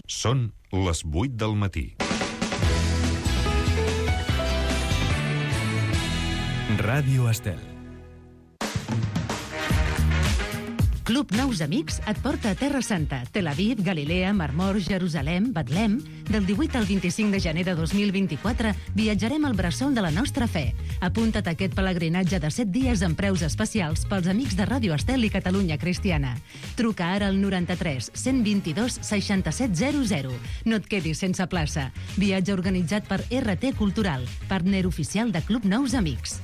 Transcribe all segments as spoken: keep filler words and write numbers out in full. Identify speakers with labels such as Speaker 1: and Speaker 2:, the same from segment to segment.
Speaker 1: Són les vuit del matí.
Speaker 2: Ràdio Estel.
Speaker 3: Club Nous Amics et porta a Terra Santa, Tel Aviv, Galilea, Mar Mor, Jerusalem, Betlem. Del divuit al vint-i-cinc de gener de dos mil vint-i-quatre viatjarem al bressol de la nostra fe. Apunta't a aquest pelegrinatge de set dies amb preus especials pels amics de Ràdio Estel i Catalunya Cristiana. Truca ara al noranta-tres cent vint-i-dos seixanta-set zero zero. No et quedis sense plaça. Viatge organitzat per R T Cultural, partner oficial de Club Nous Amics.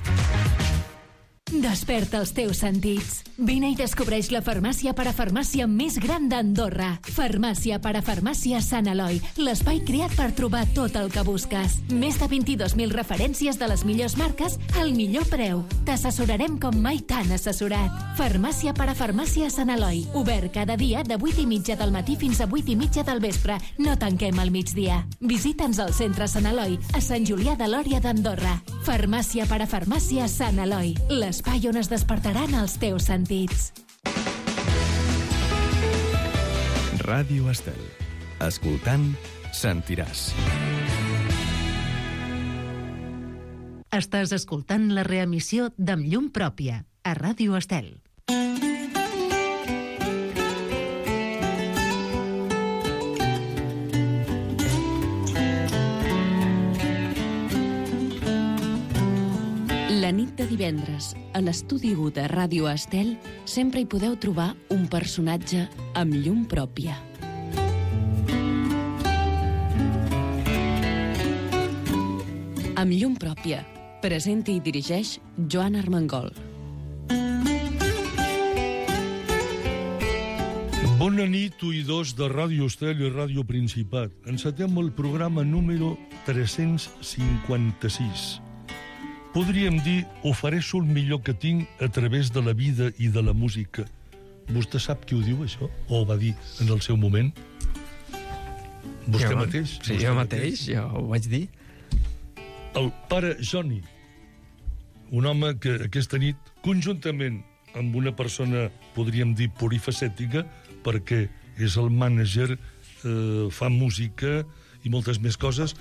Speaker 4: Desperta els teus sentits. Vine i descobreix la farmàcia parafarmàcia més gran d'Andorra. Farmàcia parafarmàcia Sant Eloi, l'espai creat per trobar tot el que busques. Més de vint-i-dos mil referències de les millors marques al millor preu. T'assessorarem com mai t'han assessorat. Farmàcia parafarmàcia Sant Eloi, obert cada dia de vuit i mitja del matí fins a vuit i mitja del vespre. No tanquem al migdia. Visita'ns al centre Sant Eloi, a Sant Julià de Lòria d'Andorra. Farmàcia parafarmàcia Sant Eloi, l'espai on es despertaran els teus sentits.
Speaker 2: Ràdio Estel. Escoltant, sentiràs.
Speaker 3: Estàs escoltant la reemissió d'Amb llum pròpia, a Ràdio Estel.
Speaker 5: La nit de divendres, a l'estudi u de Ràdio Estel, sempre hi podeu trobar un personatge amb llum pròpia. Amb llum pròpia, presenta i dirigeix Joan Armengol.
Speaker 6: Bona nit, oïdors de Ràdio Estel i Ràdio Principat. Encetem el programa número tres-cents cinquanta-sis. Podríem dir, ofereixo el millor que tinc a través de la vida i de la música. Vostè sap qui ho diu, això? O ho va dir en el seu moment? Vostè
Speaker 7: jo,
Speaker 6: mateix?
Speaker 7: Sí,
Speaker 6: Vostè
Speaker 7: jo mateix, jo ho vaig dir.
Speaker 6: El pare Johnny, un home que aquesta nit, conjuntament amb una persona, podríem dir, polifacètica, perquè és el mànager, eh, fa música i moltes més coses,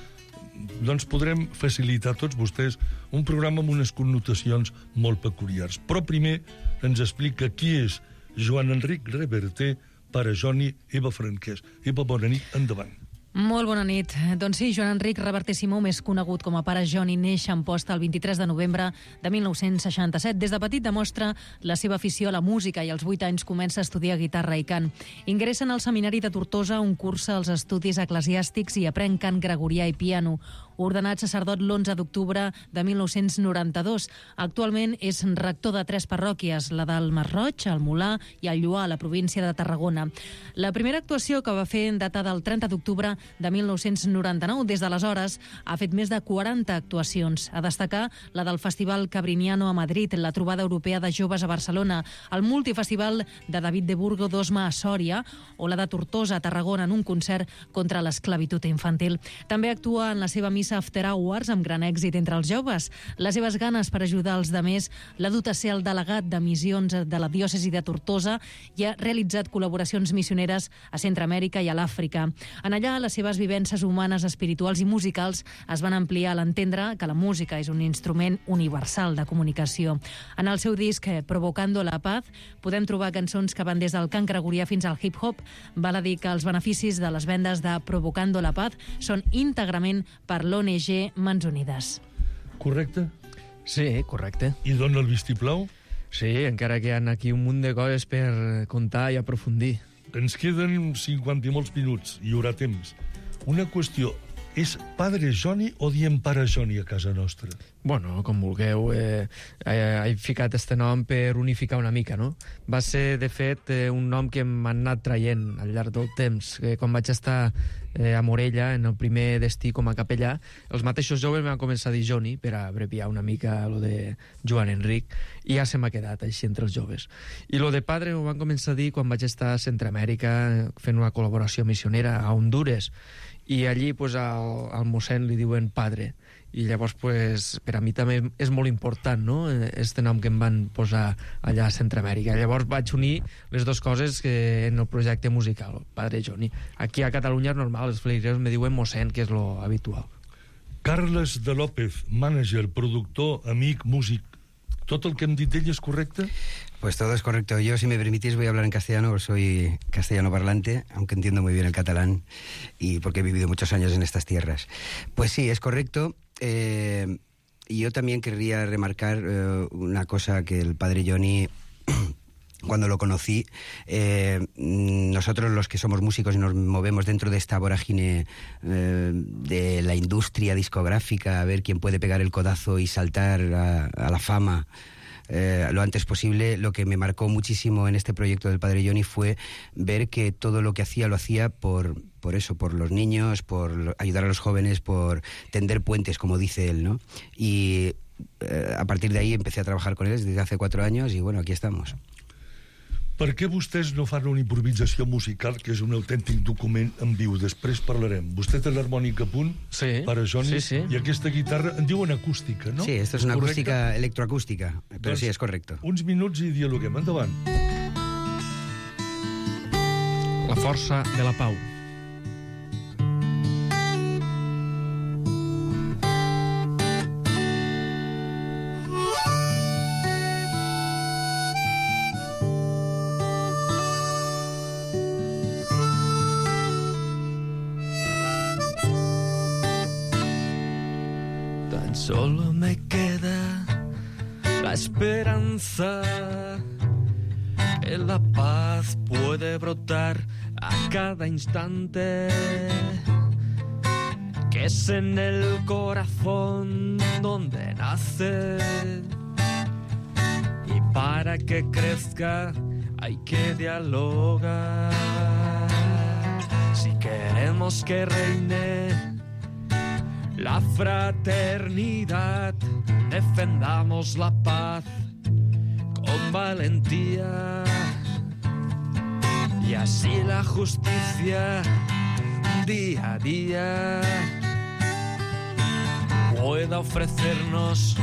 Speaker 6: doncs podrem facilitar a tots vostès un programa amb unes connotacions molt peculiars. Però primer ens explica qui és Joan Enric Reverter, pare Johnny, Eva Franquès. Eva, bona nit, endavant.
Speaker 8: Molt bona nit. Doncs sí, Joan Enric Reverter Simó, més conegut com a pare Johnny, neix a Amposta el vint-i-tres de novembre de mil nou-cents seixanta-set. Des de petit demostra la seva afició a la música i als vuit anys comença a estudiar guitarra i cant. Ingressa en el seminari de Tortosa, on cursa els estudis eclesiàstics i aprèn cant gregorià i piano. Ordenat sacerdot l'onze d'octubre de mil nou-cents noranta-dos. Actualment és rector de tres parròquies, la del Masroig, el Molar i el Lloar, a la província de Tarragona. La primera actuació que va fer data del trenta d'octubre de mil nou-cents noranta-nou. Des d'aleshores ha fet més de quaranta actuacions. A destacar la del Festival Cabriniano a Madrid, la Trobada Europea de Joves a Barcelona, el Multifestival de David de Burgo d'Osma a Sòria o la de Tortosa a Tarragona en un concert contra l'esclavitud infantil. També actua en la seva missa After Hours amb gran èxit entre els joves. Les seves ganes per ajudar els demés l'ha dut a ser el delegat de missions de la diòcesi de Tortosa i ha realitzat col·laboracions missioneres a Centreamèrica i a l'Àfrica. En allà, les seves vivències humanes, espirituals i musicals es van ampliar a l'entendre que la música és un instrument universal de comunicació. En el seu disc Provocando la Paz podem trobar cançons que van des del cant gregorià fins al hip-hop. Val a dir que els beneficis de les vendes de Provocando la Paz són íntegrament per l'O N G Mans Unides.
Speaker 6: Correcte?
Speaker 7: Sí, correcte.
Speaker 6: I dona el vistiplau?
Speaker 7: Sí, encara que hi ha aquí un munt de coses per contar i aprofundir.
Speaker 6: Ens queden cinquanta i molts minuts, hi haurà temps. Una qüestió, és padre Johnny o diem pare Johnny a casa nostra?
Speaker 7: Bueno, com vulgueu. Eh, eh, he ficat este nom per unificar una mica, no? Va ser, de fet, eh, un nom que m'han anat traient al llarg del temps. Eh, quan vaig estar eh, a Morella, en el primer destí com a capellà, els mateixos joves m'han començat a dir Johnny, per abreviar una mica lo de Joan Enric, i ja se m'ha quedat així entre els joves. I lo de padre ho van començar a dir quan vaig estar a Centreamèrica fent una col·laboració missionera a Hondures, i allí pues, al, al mossèn li diuen padre, i llavors pues, per a mi també és molt important, no?, este nom que em van posar allà a Centroamèrica. Llavors vaig unir les dues coses que en el projecte musical, Padre Johnny. Aquí a Catalunya és normal, els feligresos me diuen mossèn, que és lo habitual.
Speaker 6: Carles de López, mànager, productor, amic, músic. ¿Todo el que hem dit ell és correcte?
Speaker 9: Pues todo es correcto. Yo, si me permitís, voy a hablar en castellano, soy castellano parlante, aunque entiendo muy bien el catalán, y porque he vivido muchos años en estas tierras. Pues sí, es correcto. Eh, y yo también querría remarcar eh, una cosa que el padre Johnny... Cuando lo conocí, eh, nosotros los que somos músicos y nos movemos dentro de esta vorágine eh, de la industria discográfica, a ver quién puede pegar el codazo y saltar a, a la fama eh, lo antes posible, lo que me marcó muchísimo en este proyecto del Padre Johnny fue ver que todo lo que hacía lo hacía por, por eso, por los niños, por ayudar a los jóvenes, por tender puentes, como dice él, ¿no? Y eh, a partir de ahí empecé a trabajar con él desde hace cuatro años y bueno, aquí estamos.
Speaker 6: Per què vostès no fan una improvisació musical, que és un autèntic document en viu? Després parlarem. Vostè té l'harmònica a punt,
Speaker 7: sí,
Speaker 6: para Johnny,
Speaker 7: sí, sí.
Speaker 6: I aquesta guitarra, en diuen acústica, no?
Speaker 9: Sí, esto es una correcte? acústica electroacústica, però doncs, sí, és correcte.
Speaker 6: Uns minuts i dialoguem. Endavant.
Speaker 7: La força de la pau.
Speaker 10: Solo me queda la esperanza que la paz puede brotar a cada instante, que es en el corazón donde nace, y para que crezca hay que dialogar. Si queremos que reine la fraternidad, defendamos la paz con valentía, y así la justicia día a día pueda ofrecernos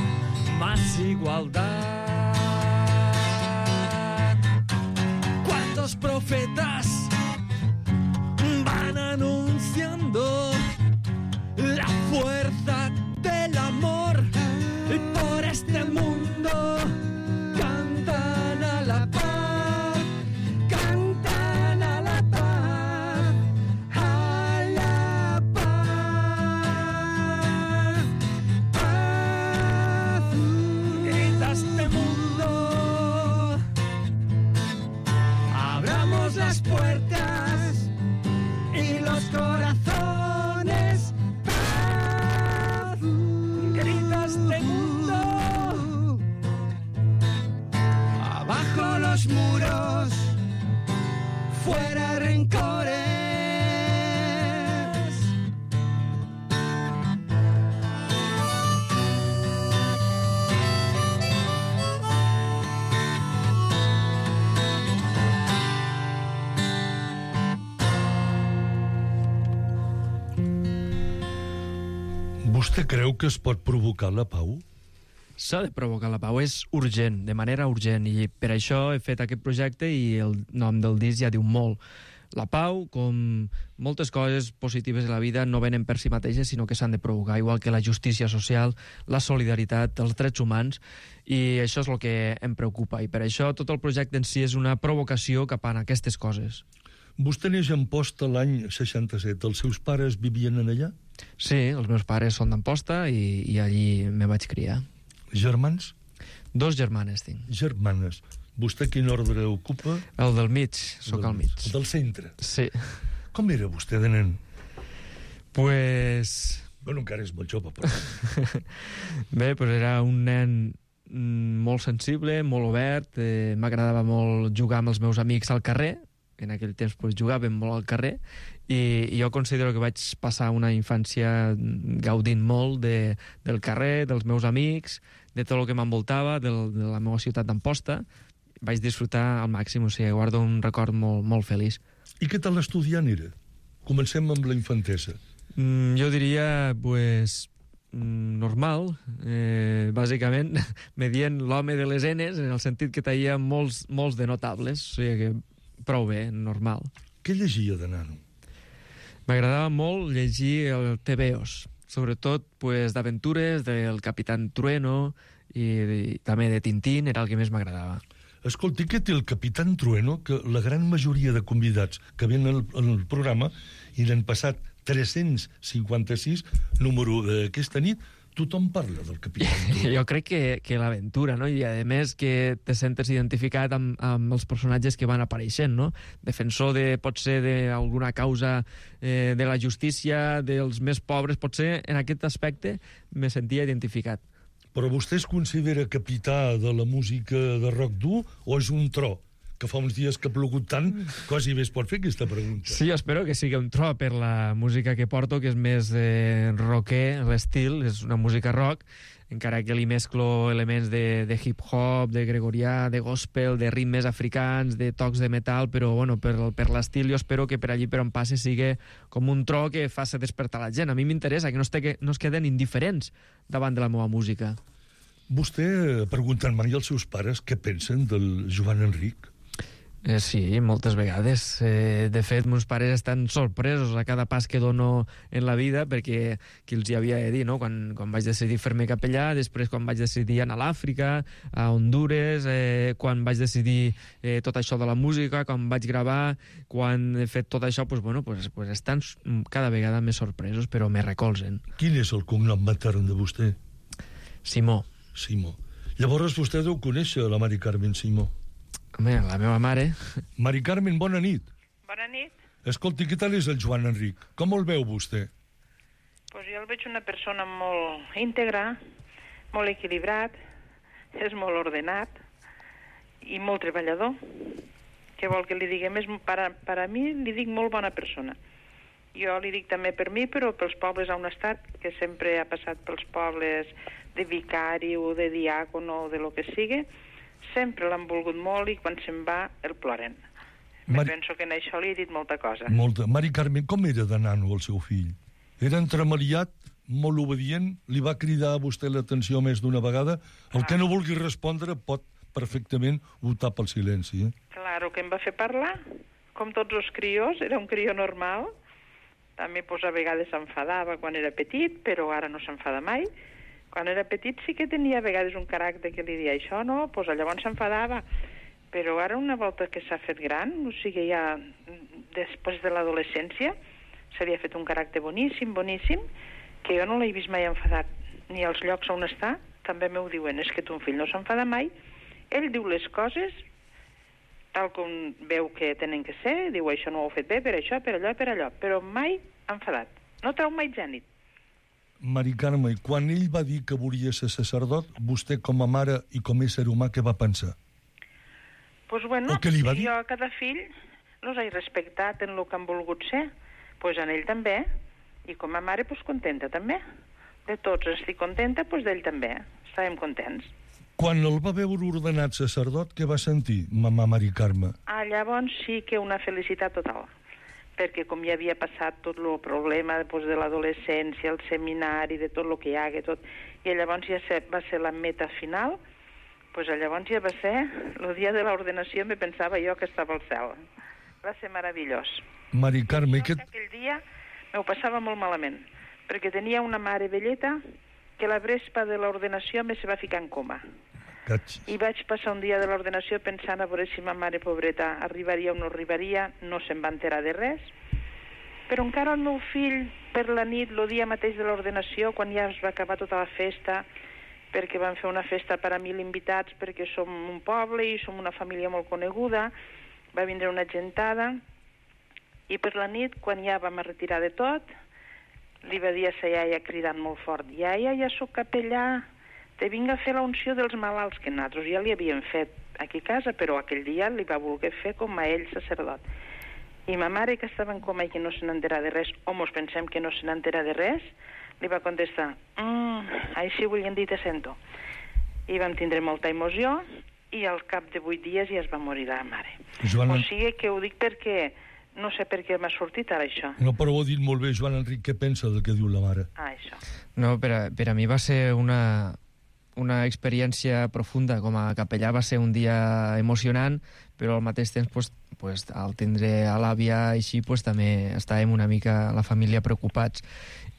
Speaker 10: más igualdad. ¿Cuántos profetas van anunciando la fuerza del amor por este mundo? Cantan a la paz, cantan a la paz, a la paz, paz. Grita este mundo, abramos las puertas y los corazones. Este mundo, abajo los muros, fuera rencores.
Speaker 6: Vostè creu que es pot provocar la pau?
Speaker 7: S'ha de provocar la pau, és urgent, de manera urgent, i per això he fet aquest projecte i el nom del disc ja diu molt. La pau, com moltes coses positives de la vida, no venen per si mateixes, sinó que s'han de provocar, igual que la justícia social, la solidaritat, els drets humans, i això és el que em preocupa, i per això tot el projecte en si és una provocació cap a aquestes coses.
Speaker 6: Vostè neix a Amposta l'any seixanta-set. Els seus pares vivien en allà?
Speaker 7: Sí, els meus pares són d'Amposta i, i allí me vaig criar.
Speaker 6: Germans?
Speaker 7: Dos germanes tinc.
Speaker 6: Germanes. Vostè quin ordre ocupa?
Speaker 7: El del mig, sóc al mig.
Speaker 6: El del centre?
Speaker 7: Sí.
Speaker 6: Com era vostè de nen?
Speaker 7: Pues...
Speaker 6: Bueno, encara és molt jove, però...
Speaker 7: Bé, pues era un nen molt sensible, molt obert, eh, m'agradava molt jugar amb els meus amics al carrer. En aquell temps pues, jugàvem molt al carrer, i, i jo considero que vaig passar una infància gaudint molt de, del carrer, dels meus amics, de tot el que m'envoltava, de la meva ciutat d'Amposta. Vaig disfrutar al màxim, o sigui, guardo un record molt, molt feliç.
Speaker 6: I què tal estudiant era? Comencem amb la infantesa.
Speaker 7: Mm, jo diria, pues, normal, eh, bàsicament, me dient l'home de les enes, en el sentit que tenia molts, molts de notables, o sigui que prou bé, normal.
Speaker 6: Què llegia de nano?
Speaker 7: M'agradava molt llegir el tebeos, sobretot pues, d'aventures del Capitán Trueno i, i també de Tintín, era el que més m'agradava.
Speaker 6: Escolti, què té el Capitán Trueno? Que la gran majoria de convidats que venen al, al programa, i n'han passat tres-cents cinquanta-sis, número d'aquesta nit, tothom parla del Capitán Trueno.
Speaker 7: Jo crec que, que l'aventura, no? I a més que te sentes identificat amb, amb els personatges que van apareixent, no? Defensor de, pot ser d'alguna causa eh, de la justícia, dels més pobres, potser en aquest aspecte me sentia identificat.
Speaker 6: Però vostè es considera capità de la música de rock dur o és un tro? Que fa uns dies que ha plogut tant, quasi bé es pot fer aquesta pregunta.
Speaker 7: Sí, jo espero que sigui un tro per la música que porto, que és més eh, rocker, l'estil, és una música rock, encara que li mesclo elements de, de hip-hop, de gregorià, de gospel, de ritmes africans, de tocs de metal, però bueno, per, per l'estil jo espero que per allí per on passe sigui com un tro que faci despertar la gent. A mi m'interessa que no, este, que no es queden indiferents davant de la meva música.
Speaker 6: Vostè ha preguntat mai als seus pares què pensen del Joan Enric?
Speaker 7: Eh, sí, moltes vegades. Eh, de fet, meus pares estan sorpresos a cada pas que dono en la vida, perquè qui els hi havia de dir, no? Quan, quan vaig decidir fer-me capellà, després quan vaig decidir anar a l'Àfrica, a Hondures, eh, quan vaig decidir eh, tot això de la música, quan vaig gravar, quan he fet tot això, pues, bueno, pues, pues estan cada vegada més sorpresos, però me recolzen.
Speaker 6: Quin és el cognom matern de vostè?
Speaker 7: Simó.
Speaker 6: Simó. Llavors vostè deu conèixer la Mari Carmen Simó.
Speaker 7: Home, la meva mare.
Speaker 6: Mari Carmen, bona nit.
Speaker 11: Bona nit.
Speaker 6: Escolti, què tal és el Joan Enric? Com el veu vostè?
Speaker 11: Pues jo el veig una persona molt íntegra, molt equilibrat, és molt ordenat i molt treballador. Què vol que li diguem? És, per, a, per a mi li dic molt bona persona. Jo li dic també per mi, però pels pobles on ha estat, que sempre ha passat pels pobles de vicari o de diàcono o de lo que sigui, sempre l'han volgut molt i quan se'n va el ploren. Mari... Penso que en això li he dit molta cosa.
Speaker 6: Molta. Mari Carmen, com era de nano el seu fill? Era entremaliat, molt obedient, li va cridar a vostè l'atenció més d'una vegada? El ah. que no vulgui respondre pot perfectament optar pel silenci. Eh?
Speaker 11: Claro, que em va fer parlar, com tots els crios, era un crió normal. També pues, a vegades s'enfadava quan era petit, però ara no s'enfada mai. Quan era petit sí que tenia a vegades un caràcter que li deia això, no? Pues llavors s'enfadava. Però ara una volta que s'ha fet gran, o sigui, ja després de l'adolescència, s'havia fet un caràcter boníssim, boníssim, que jo no l'he vist mai enfadat. Ni als llocs on està, també m'ho diuen, és que ton fill no s'enfada mai. Ell diu les coses tal com veu que tenen que ser, diu això no ho he fet bé, per això, per allò, per allò, però mai enfadat. No trau mai gènit.
Speaker 6: Mari Carme, quan ell va dir que volia ser sacerdot, vostè com a mare i com a ésser humà, què va pensar?
Speaker 11: Pues bueno,
Speaker 6: què li va dir?
Speaker 11: Jo a cada fill los he respectat en el que han volgut ser, pues en ell també, i com a mare pues contenta també. De tots estic contenta, pues d'ell també. Estàvem contents.
Speaker 6: Quan el va veure ordenat sacerdot, què va sentir, mamà Mari Carme?
Speaker 11: Ah, llavors sí que una felicitat total, perquè com ja havia passat tot el problema pues, de l'adolescència, el seminari, de tot el que hi ha, tot, i llavors ja se, va ser la meta final, pues llavors ja va ser, el dia de l'ordenació me pensava jo que estava al cel. Va ser meravellós.
Speaker 6: Mari Carme,
Speaker 11: que... Aquell dia m'ho passava molt malament, perquè tenia una mare velleta que la vespa de l'ordenació me se va ficar en coma.
Speaker 6: Catxis.
Speaker 11: I vaig passar un dia de l'ordenació pensant a veure si ma mare pobreta arribaria o no arribaria, no se'n va enterar de res. Però encara el meu fill, per la nit, el dia mateix de l'ordenació, quan ja es va acabar tota la festa, perquè van fer una festa per a mil invitats, perquè som un poble i som una família molt coneguda, va vindre una gentada, i per la nit, quan ja vam retirar de tot, li va dir a sa iaia cridant molt fort, iaia, ja soc capellà, te vinc a fer la unció dels malalts, que nosaltres ja li havíem fet aquí a casa, però aquell dia li va voler fer com a ell sacerdot. I ma mare, que estava en coma i que no se n'entera de res, o mos pensem que no se n'entera de res, li va contestar, mm, així volien dir te sento. I vam tindre molta emoció, i al cap de vuit dies ja es va morir la mare.
Speaker 6: Joana...
Speaker 11: O sigui que ho dic perquè No sé per què m'ha sortit ara això.
Speaker 6: No, però ho ha dit molt bé, Joan Enric, què pensa del que diu la mare?
Speaker 11: Ah, això.
Speaker 7: No, per a, per a mi va ser una, una experiència profunda. Com a capellà va ser un dia emocionant, però al mateix temps, pues, pues, al tindre a l'àvia així, pues, també estàvem una mica la família preocupats.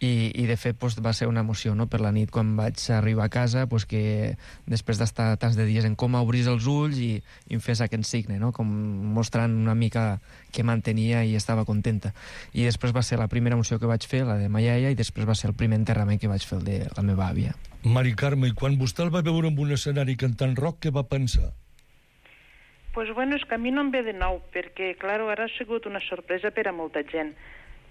Speaker 7: I, i de fet pues, va ser una emoció, no? Per la nit quan vaig arribar a casa, pues, que després d'estar tants de dies en coma obrís els ulls i, i em fes aquest signe, no? Com mostrant una mica que mantenia i estava contenta. I després va ser la primera emoció que vaig fer, la de ma iaia, i després va ser el primer enterrament que vaig fer, el de la meva àvia.
Speaker 6: Mari Carme, i quan vostè el va veure en un escenari cantant rock, què va pensar?
Speaker 11: Pues bueno, és que a mi no em ve de nou, perquè, clar, ara ha sigut una sorpresa per a molta gent.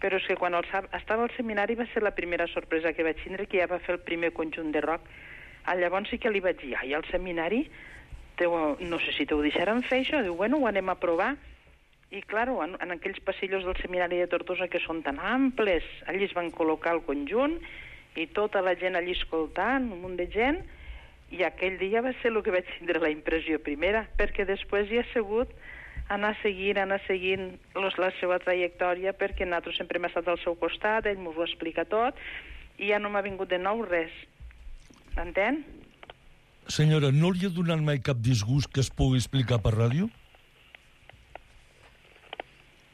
Speaker 11: Però és que quan el, estava al seminari va ser la primera sorpresa que vaig tindre, que ja va fer el primer conjunt de rock. Ah, llavors sí que li vaig dir, ai, al seminari, teu, no sé si t'ho deixaran fer això, diu, bueno, ho anem a provar. I, clar, en, en aquells passillos del seminari de Tortosa que són tan amples, allí es van col·locar el conjunt i tota la gent allí escoltant, un munt de gent, i aquell dia va ser el que vaig tindre la impressió primera, perquè després hi ha sigut anar seguint, anar seguint los, la seva trajectòria, perquè nosaltres sempre hem estat al seu costat, ell m'ho explica tot, i ja no m'ha vingut de nou res. Entén?
Speaker 6: Senyora, no li ha donat mai cap disgust que es pugui explicar per ràdio?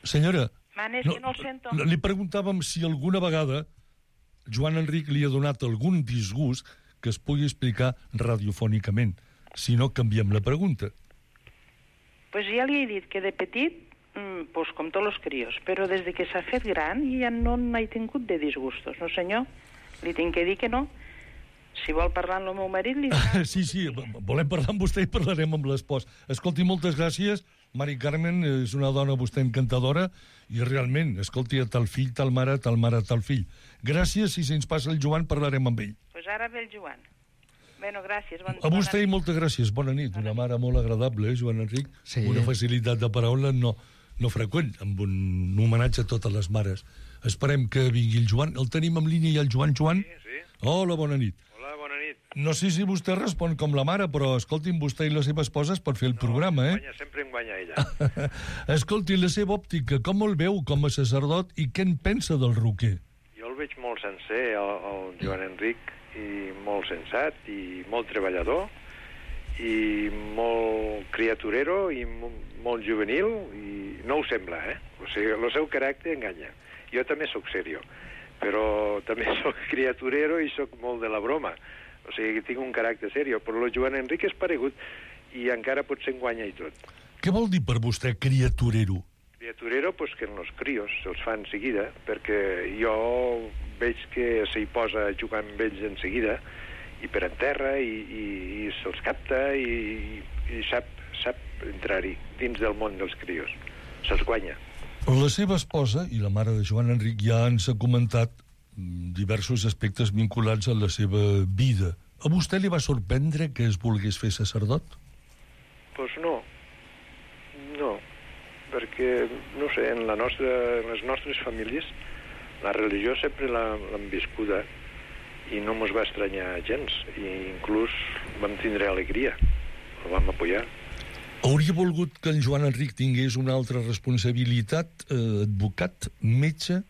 Speaker 6: Senyora,
Speaker 11: Manes, no, que no el sento.
Speaker 6: Li preguntàvem si alguna vegada Joan Enric li ha donat algun disgust que es pugui explicar radiofònicament. Si no, canviem la pregunta.
Speaker 11: Pues ja li he dit que de petit, mmm, pues com tots els crios, però des de que s'ha fet gran ja no n'he tingut de disgustos, no senyor? Li tinc que dir que no. Si vol parlar amb el meu marit, li dirà...
Speaker 6: Sí, sí, volem parlar amb vostè i parlarem amb l'espòs. Escolti, moltes gràcies. Mari Carmen és una dona vostè encantadora i realment, escolti, tal fill, tal mare, tal mare, tal fill. Gràcies, i si ens passa el Joan parlarem amb ell.
Speaker 11: Pues ara ve el Joan. Bueno, gràcies. Bon,
Speaker 6: a vostè i moltes gràcies. Bona nit. Una mare molt agradable, eh, Joan Enric?
Speaker 7: Sí.
Speaker 6: Una facilitat de paraula no, no freqüent, amb un homenatge a totes les mares. Esperem que vingui el Joan. El tenim en línia ja, el Joan. Joan?
Speaker 12: Sí, sí.
Speaker 6: Hola, bona nit.
Speaker 12: Hola, bona nit.
Speaker 6: No sé si vostè respon com la mare, però escolti'm, vostè i la seva esposa es pot fer el
Speaker 12: no,
Speaker 6: programa, eh?
Speaker 12: Guanya, sempre em guanya ella.
Speaker 6: Escolti, la seva òptica, com el veu com a sacerdot i què en pensa del roquer?
Speaker 12: Jo el veig molt sencer, el, el Joan Enric, i molt sensat, i molt treballador, i molt criaturero, i molt juvenil, i no ho sembla, eh? O sigui, el seu caràcter enganya. Jo també sóc serio, però també sóc criaturero i sóc molt de la broma. O sigui, tinc un caràcter serio, però el Joan Enric és paregut, i encara potser enguanya i tot.
Speaker 6: Què vol dir per vostè criaturero?
Speaker 12: Criaturero, pues que en los crios se'ls fa en seguida, perquè jo veig que s'hi posa a jugar amb ells en seguida, i per en terra, i, i, i se'ls capta, i, i sap, sap entrar-hi dins del món dels crios. Se'ls guanya.
Speaker 6: La seva esposa i la mare de Joan Enric ja ens ha comentat diversos aspectes vinculats a la seva vida. A vostè li va sorprendre que es volgués fer sacerdot?
Speaker 12: Pues no. No. Perquè, no sé, en, la nostra, en les nostres famílies la religió sempre l'hem viscuda i no mos va estranyar gens, i inclús vam tindre alegria, el vam apoyar.
Speaker 6: Hauria volgut que en Joan Enric tingués una altra responsabilitat, eh, advocat, metge,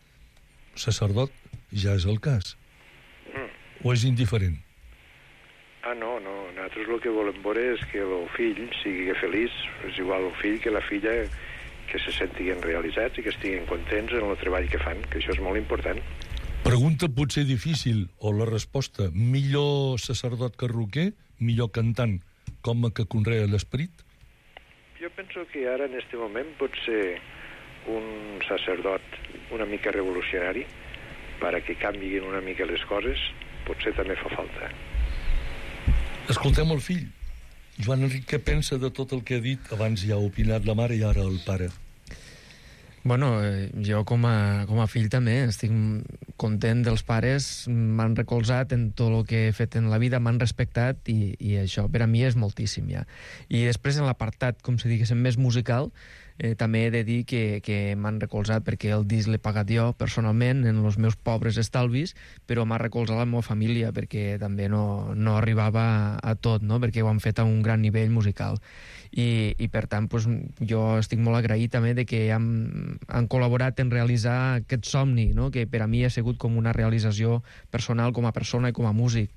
Speaker 6: sacerdot, ja és el cas.
Speaker 12: Mm.
Speaker 6: O és indiferent?
Speaker 12: Ah, no, no, nosaltres el que volem veure és que el fill sigui feliç, és igual el fill que la filla, que se sentiguen realitzats i que estiguin contents en el treball que fan, que això és molt important.
Speaker 6: Pregunta potser difícil, o la resposta, millor sacerdot que roquer, millor cantant, com que conrea l'esperit?
Speaker 12: Jo penso que ara, en aquest moment, pot ser un sacerdot una mica revolucionari, para que canviïn una mica les coses, potser també fa falta.
Speaker 6: Escoltem el fill. Joan Enric, què pensa de tot el que ha dit? Abans ja ha opinat la mare i ara el pare.
Speaker 7: Bueno, eh, jo com a, com a fill també estic content dels pares, m'han recolzat en tot el que he fet en la vida, m'han respectat i, i això per a mi és moltíssim ja. I després en l'apartat, com si diguéssim, més musical, Eh, també he de dir que, que m'han recolzat, perquè el disc l'he pagat jo personalment en els meus pobres estalvis, però m'ha recolzat la meva família, perquè també no, no arribava a, a tot, no? Perquè ho han fet a un gran nivell musical. I, i per tant, pues, jo estic molt agraït també de que han, han col·laborat en realitzar aquest somni, no? Que per a mi ha sigut com una realització personal com a persona i com a músic.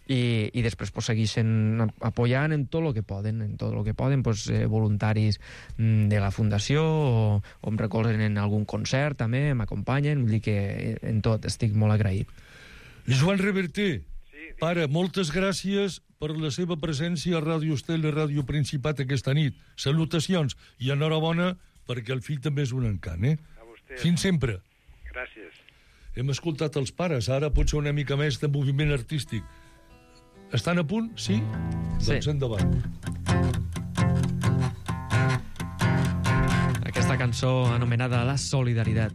Speaker 7: I, i després pues, segueixen apoyant en tot el que poden, en tot el que poden, pues, eh, voluntaris de la Fundació o, o em recolzen en algun concert també, m'acompanyen, vull dir que en tot estic molt agraït.
Speaker 6: Joan Reverter, sí, pare, moltes gràcies per la seva presència a Ràdio Estel i Ràdio Principat aquesta nit. Salutacions i enhorabona perquè el fill també és un encant, eh?
Speaker 12: A vostè.
Speaker 6: Fins sempre.
Speaker 12: Gràcies.
Speaker 6: Hem escoltat els pares, ara potser una mica més de moviment artístic. Estan a punt? Sí?
Speaker 7: Sí.
Speaker 6: Doncs endavant.
Speaker 7: Aquesta cançó anomenada La Solidaritat.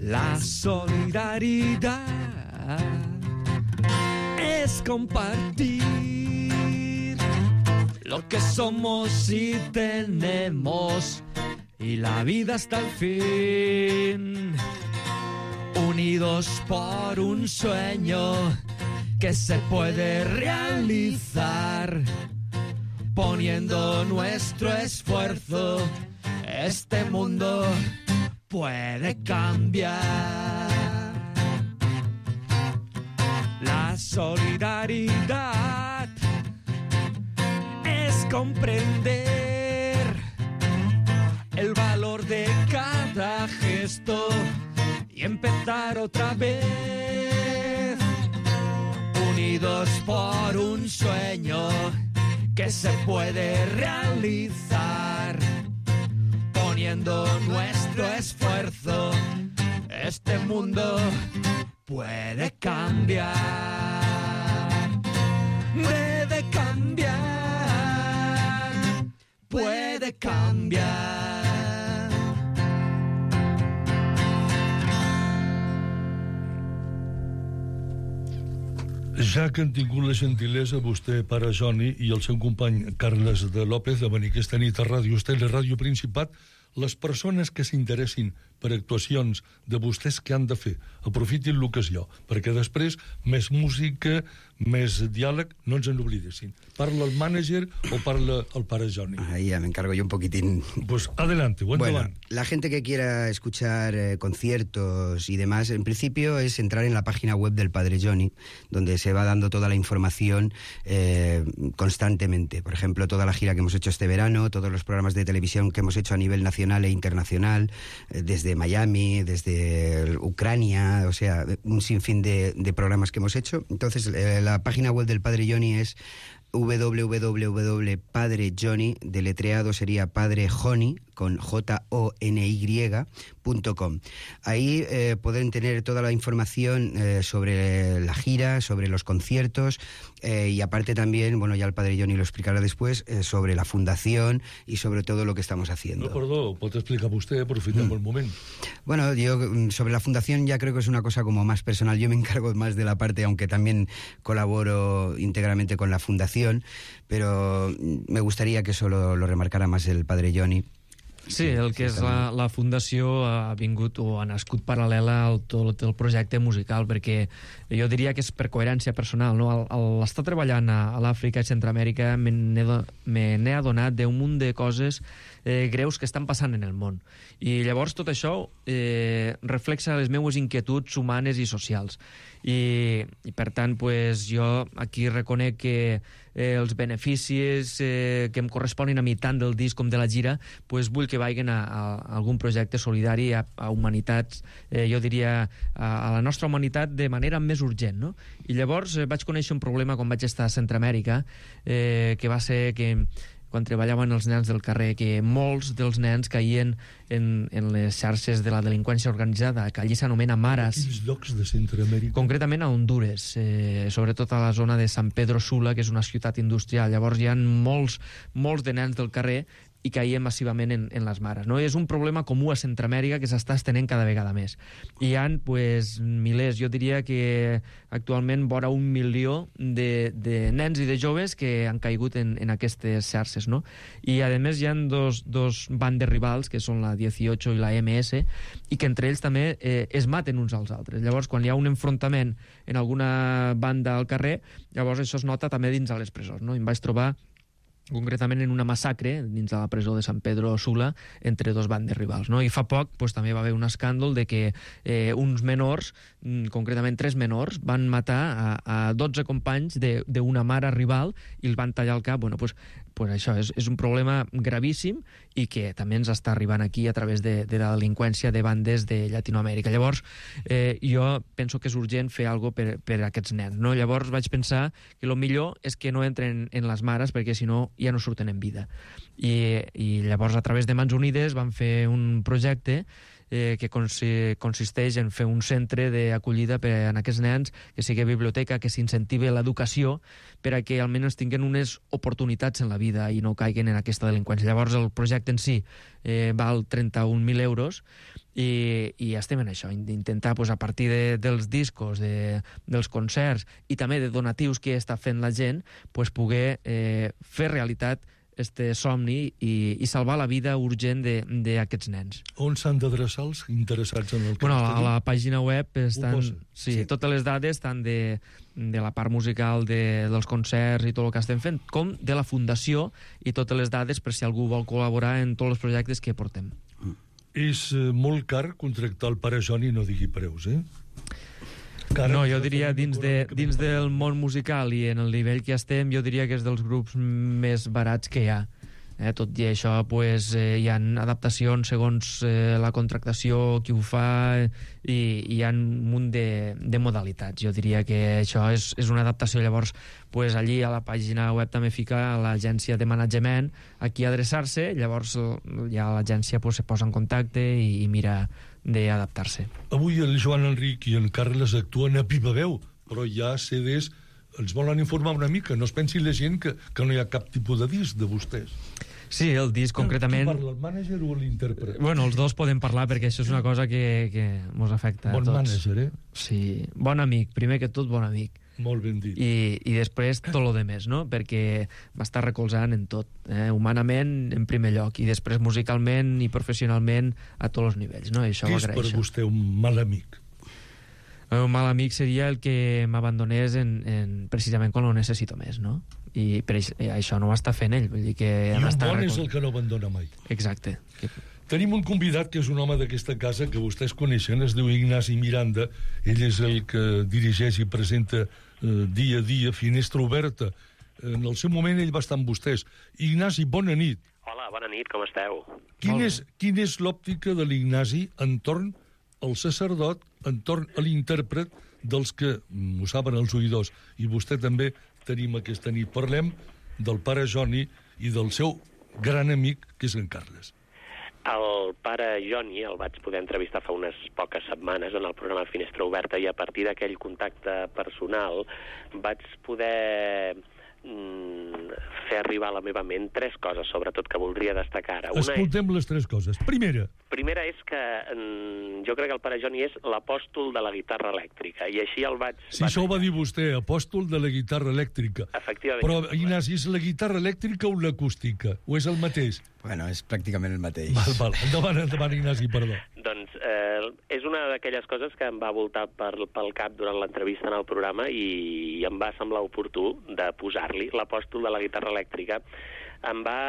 Speaker 10: La solidaridad es compartir lo que somos y tenemos, y la vida hasta el fin, unidos por un sueño que se puede realizar, poniendo nuestro esfuerzo, este mundo puede cambiar. La solidaridad es comprender el valor de cada gesto y empezar otra vez, unidos por un sueño que se puede realizar, poniendo nuestro esfuerzo, este mundo puede cambiar, puede cambiar, puede cambiar.
Speaker 6: Ja que han tingut la gentilesa vostè, pare Joni, i el seu company Carles de López de venir aquesta nit a Ràdio Estel i Ràdio Principat, les persones que s'interessin per actuacions de vostès que han de fer, aprofitin l'ocasió, perquè després més música, més diàleg, no ens en oblidessin. Parla el mànager o parla el pare Joni?
Speaker 9: Ahí ya me encargo yo un poquitín.
Speaker 6: Pues adelante, buen
Speaker 9: Bueno,
Speaker 6: endavant.
Speaker 9: la gente que quiera escuchar eh, conciertos y demás, en principio es entrar en la página web del Padre Joni, donde se va dando toda la información eh, constantemente. Por ejemplo, toda la gira que hemos hecho este verano, todos los programas de televisión que hemos hecho a nivel nacional e internacional, eh, desde Miami, desde Ucrania, o sea, un sinfín de, de programas que hemos hecho. Entonces, eh, la página web del Padre Joni es w w w punto padre joni, deletreado sería Padre Joni, con J O N Y, punto com. Ahí eh, pueden tener toda la información eh, sobre la gira, sobre los conciertos, eh, y aparte también, bueno, ya el Padre Joni lo explicará después, eh, sobre la fundación y sobre todo lo que estamos haciendo.
Speaker 6: No, perdó, pot explicar vostè, aprofitem mm. el moment.
Speaker 9: Bueno, yo sobre la fundación ya creo que es una cosa como más personal. Yo me encargo más de la parte, aunque también colaboro íntegramente con la fundación, pero me gustaría que eso lo, lo remarcara más el Padre Joni.
Speaker 7: Sí, el que és la, la fundació ha vingut o ha nascut paral·lela al tot el projecte musical, perquè jo diria que és per coherència personal, no? Al, al estar treballant a, a l'Àfrica i Centroamèrica me n'he adonat d'un munt de coses eh, greus que estan passant en el món. I llavors tot això eh, reflexa les meues inquietuds humanes i socials. I, i per tant, pues, jo aquí reconec que eh, els beneficis eh, que em corresponen a mi tant del disc com de la gira, pues, vull que vagin a, a, a algun projecte solidari a, a humanitats, eh, jo diria a, a la nostra humanitat de manera més urgent, no? I llavors eh, vaig conèixer un problema quan vaig estar a Centroamèrica, eh, que va ser que quan treballaven els nens del carrer, que molts dels nens caïen en, en les xarxes de la delinqüència organitzada, que allí s'anomena mares.
Speaker 6: Quins llocs de Centroamèrica?
Speaker 7: Concretament a Hondures, eh, sobretot a la zona de San Pedro Sula, que és una ciutat industrial. Llavors hi ha molts, molts de nens del carrer i caien massivament en, en les mares. No? És un problema comú a Centroamèrica que s'està estenent cada vegada més. Hi ha pues, milers, jo diria que actualment vora un milió de, de nens i de joves que han caigut en, en aquestes xarxes. No? I a més hi ha dos, dos bandes rivals, que són la dieciocho i la eme esse, i que entre ells també eh, es maten uns als altres. Llavors, quan hi ha un enfrontament en alguna banda al carrer, llavors això es nota també dins de les presons. No? I em vaig trobar concretament en una massacre dins de la presó de San Pedro Sula entre dos bandes rivals. No? I fa poc pues, també va haver un escàndol de que eh, uns menors, concretament tres menors, van matar a, a dotze companys d'una mare rival i els van tallar el cap. Bueno, pues, pues això és, és un problema gravíssim i que també ens està arribant aquí a través de, de la delinqüència de bandes de Llatinoamèrica. Llavors, eh, jo penso que és urgent fer alguna cosa per, per a aquests nens. No? Llavors vaig pensar que el millor és que no entren en les mares perquè si no ja no surten en vida. I, i llavors a través de Mans Unides vam fer un projecte eh, que consi consisteix en fer un centre d'acollida per a aquests nens, que sigui biblioteca, que s'incentivi l'educació per a que almenys tinguin unes oportunitats en la vida i no caiguen en aquesta delinqüència. Llavors el projecte en si eh, val trenta-un mil euros i, i estem en això, d'intentar pues, a partir de, dels discos, de, dels concerts i també de donatius que està fent la gent, pues, poder eh, fer realitat este somni i, i salvar la vida urgent d'aquests nens.
Speaker 6: On s'han d'adreçar els interessats en el que
Speaker 7: bueno, a la pàgina web estan sí, sí. totes les dades, tant de, de la part musical de, dels concerts i tot el que estem fent, com de la fundació i totes les dades per si algú vol col·laborar en tots els projectes que portem.
Speaker 6: És eh, molt car contractar el pare Joni, no digui preus, eh? Cara,
Speaker 7: no, jo diria dins, de, dins del món musical i en el nivell que estem, jo diria que és dels grups més barats que hi ha. Eh, tot i això, pues, eh, hi ha adaptacions segons eh, la contractació, qui ho fa, i hi ha un munt de, de modalitats. Jo diria que això és, és una adaptació. Llavors, pues, allí a la pàgina web també fica l'agència de manatgement a qui adreçar-se, llavors ja l'agència pues, se posa en contacte i, i mira d'adaptar-se.
Speaker 6: Avui el Joan Enric i en Carles actuen a viva veu, però hi ha ce des. Ens volen informar una mica, no es pensi la gent que, que no hi ha cap tipus de disc de vostès.
Speaker 7: Sí, el disc concretament...
Speaker 6: Qui parla, el mànager o l'intèrpret?
Speaker 7: Bueno, els dos poden parlar perquè això és una cosa que, que mos afecta
Speaker 6: bon
Speaker 7: a tots.
Speaker 6: Bon mànager, eh?
Speaker 7: Sí, bon amic, primer que tot bon amic.
Speaker 6: Molt ben dit.
Speaker 7: I, i després tot lo de més, no? Perquè m'està recolzant en tot, eh? Humanament en primer lloc i després musicalment i professionalment a tots els nivells, no? I això
Speaker 6: Què
Speaker 7: ho
Speaker 6: és
Speaker 7: agraeixo.
Speaker 6: per vostè un mal amic?
Speaker 7: Un mal amic seria el que m'abandonés en, en, precisament quan ho necessito més, no? I per això, això no ho està fent ell. Vull dir que
Speaker 6: I un bon
Speaker 7: recol...
Speaker 6: és el que no abandona mai.
Speaker 7: Exacte. Que...
Speaker 6: Tenim un convidat que és un home d'aquesta casa que vostès coneixen, es diu Ignasi Miranda. Ell és el que dirigeix i presenta eh, dia a dia Finestra Oberta. En el seu moment ell va estar amb vostès. Ignasi, bona nit.
Speaker 13: Hola, bona nit, com esteu?
Speaker 6: Quin és, quin és l'òptica de l'Ignasi entorn al sacerdot, entorn a l'intèrpret dels que ho saben els oïdors, i vostè també tenim aquesta nit. Parlem del pare Joni i del seu gran amic, que és en Carles.
Speaker 13: El pare Joni el vaig poder entrevistar fa unes poques setmanes en el programa Finestra Oberta i a partir d'aquell contacte personal vaig poder mm, fer arribar a la meva ment tres coses, sobretot, que voldria destacar ara. Una
Speaker 6: Escoltem és... les tres coses. Primera.
Speaker 13: Primera és que mm, jo crec que el pare Joni és l'apòstol de la guitarra elèctrica, i així el vaig...
Speaker 6: Sí, això ho va dir vostè, apòstol de la guitarra elèctrica.
Speaker 13: Efectivament.
Speaker 6: Però, Ignasi, és la guitarra elèctrica o l'acústica? O és el mateix?
Speaker 9: Bueno, és pràcticament el mateix.
Speaker 6: Val, val. Endavant, endavant, Ignasi, perdó.
Speaker 13: Doncs eh, és una d'aquelles coses que em va voltar per, pel cap durant l'entrevista en el programa i, i em va semblar oportú de posar-li l'apòstol de la guitarra elèctrica. Em va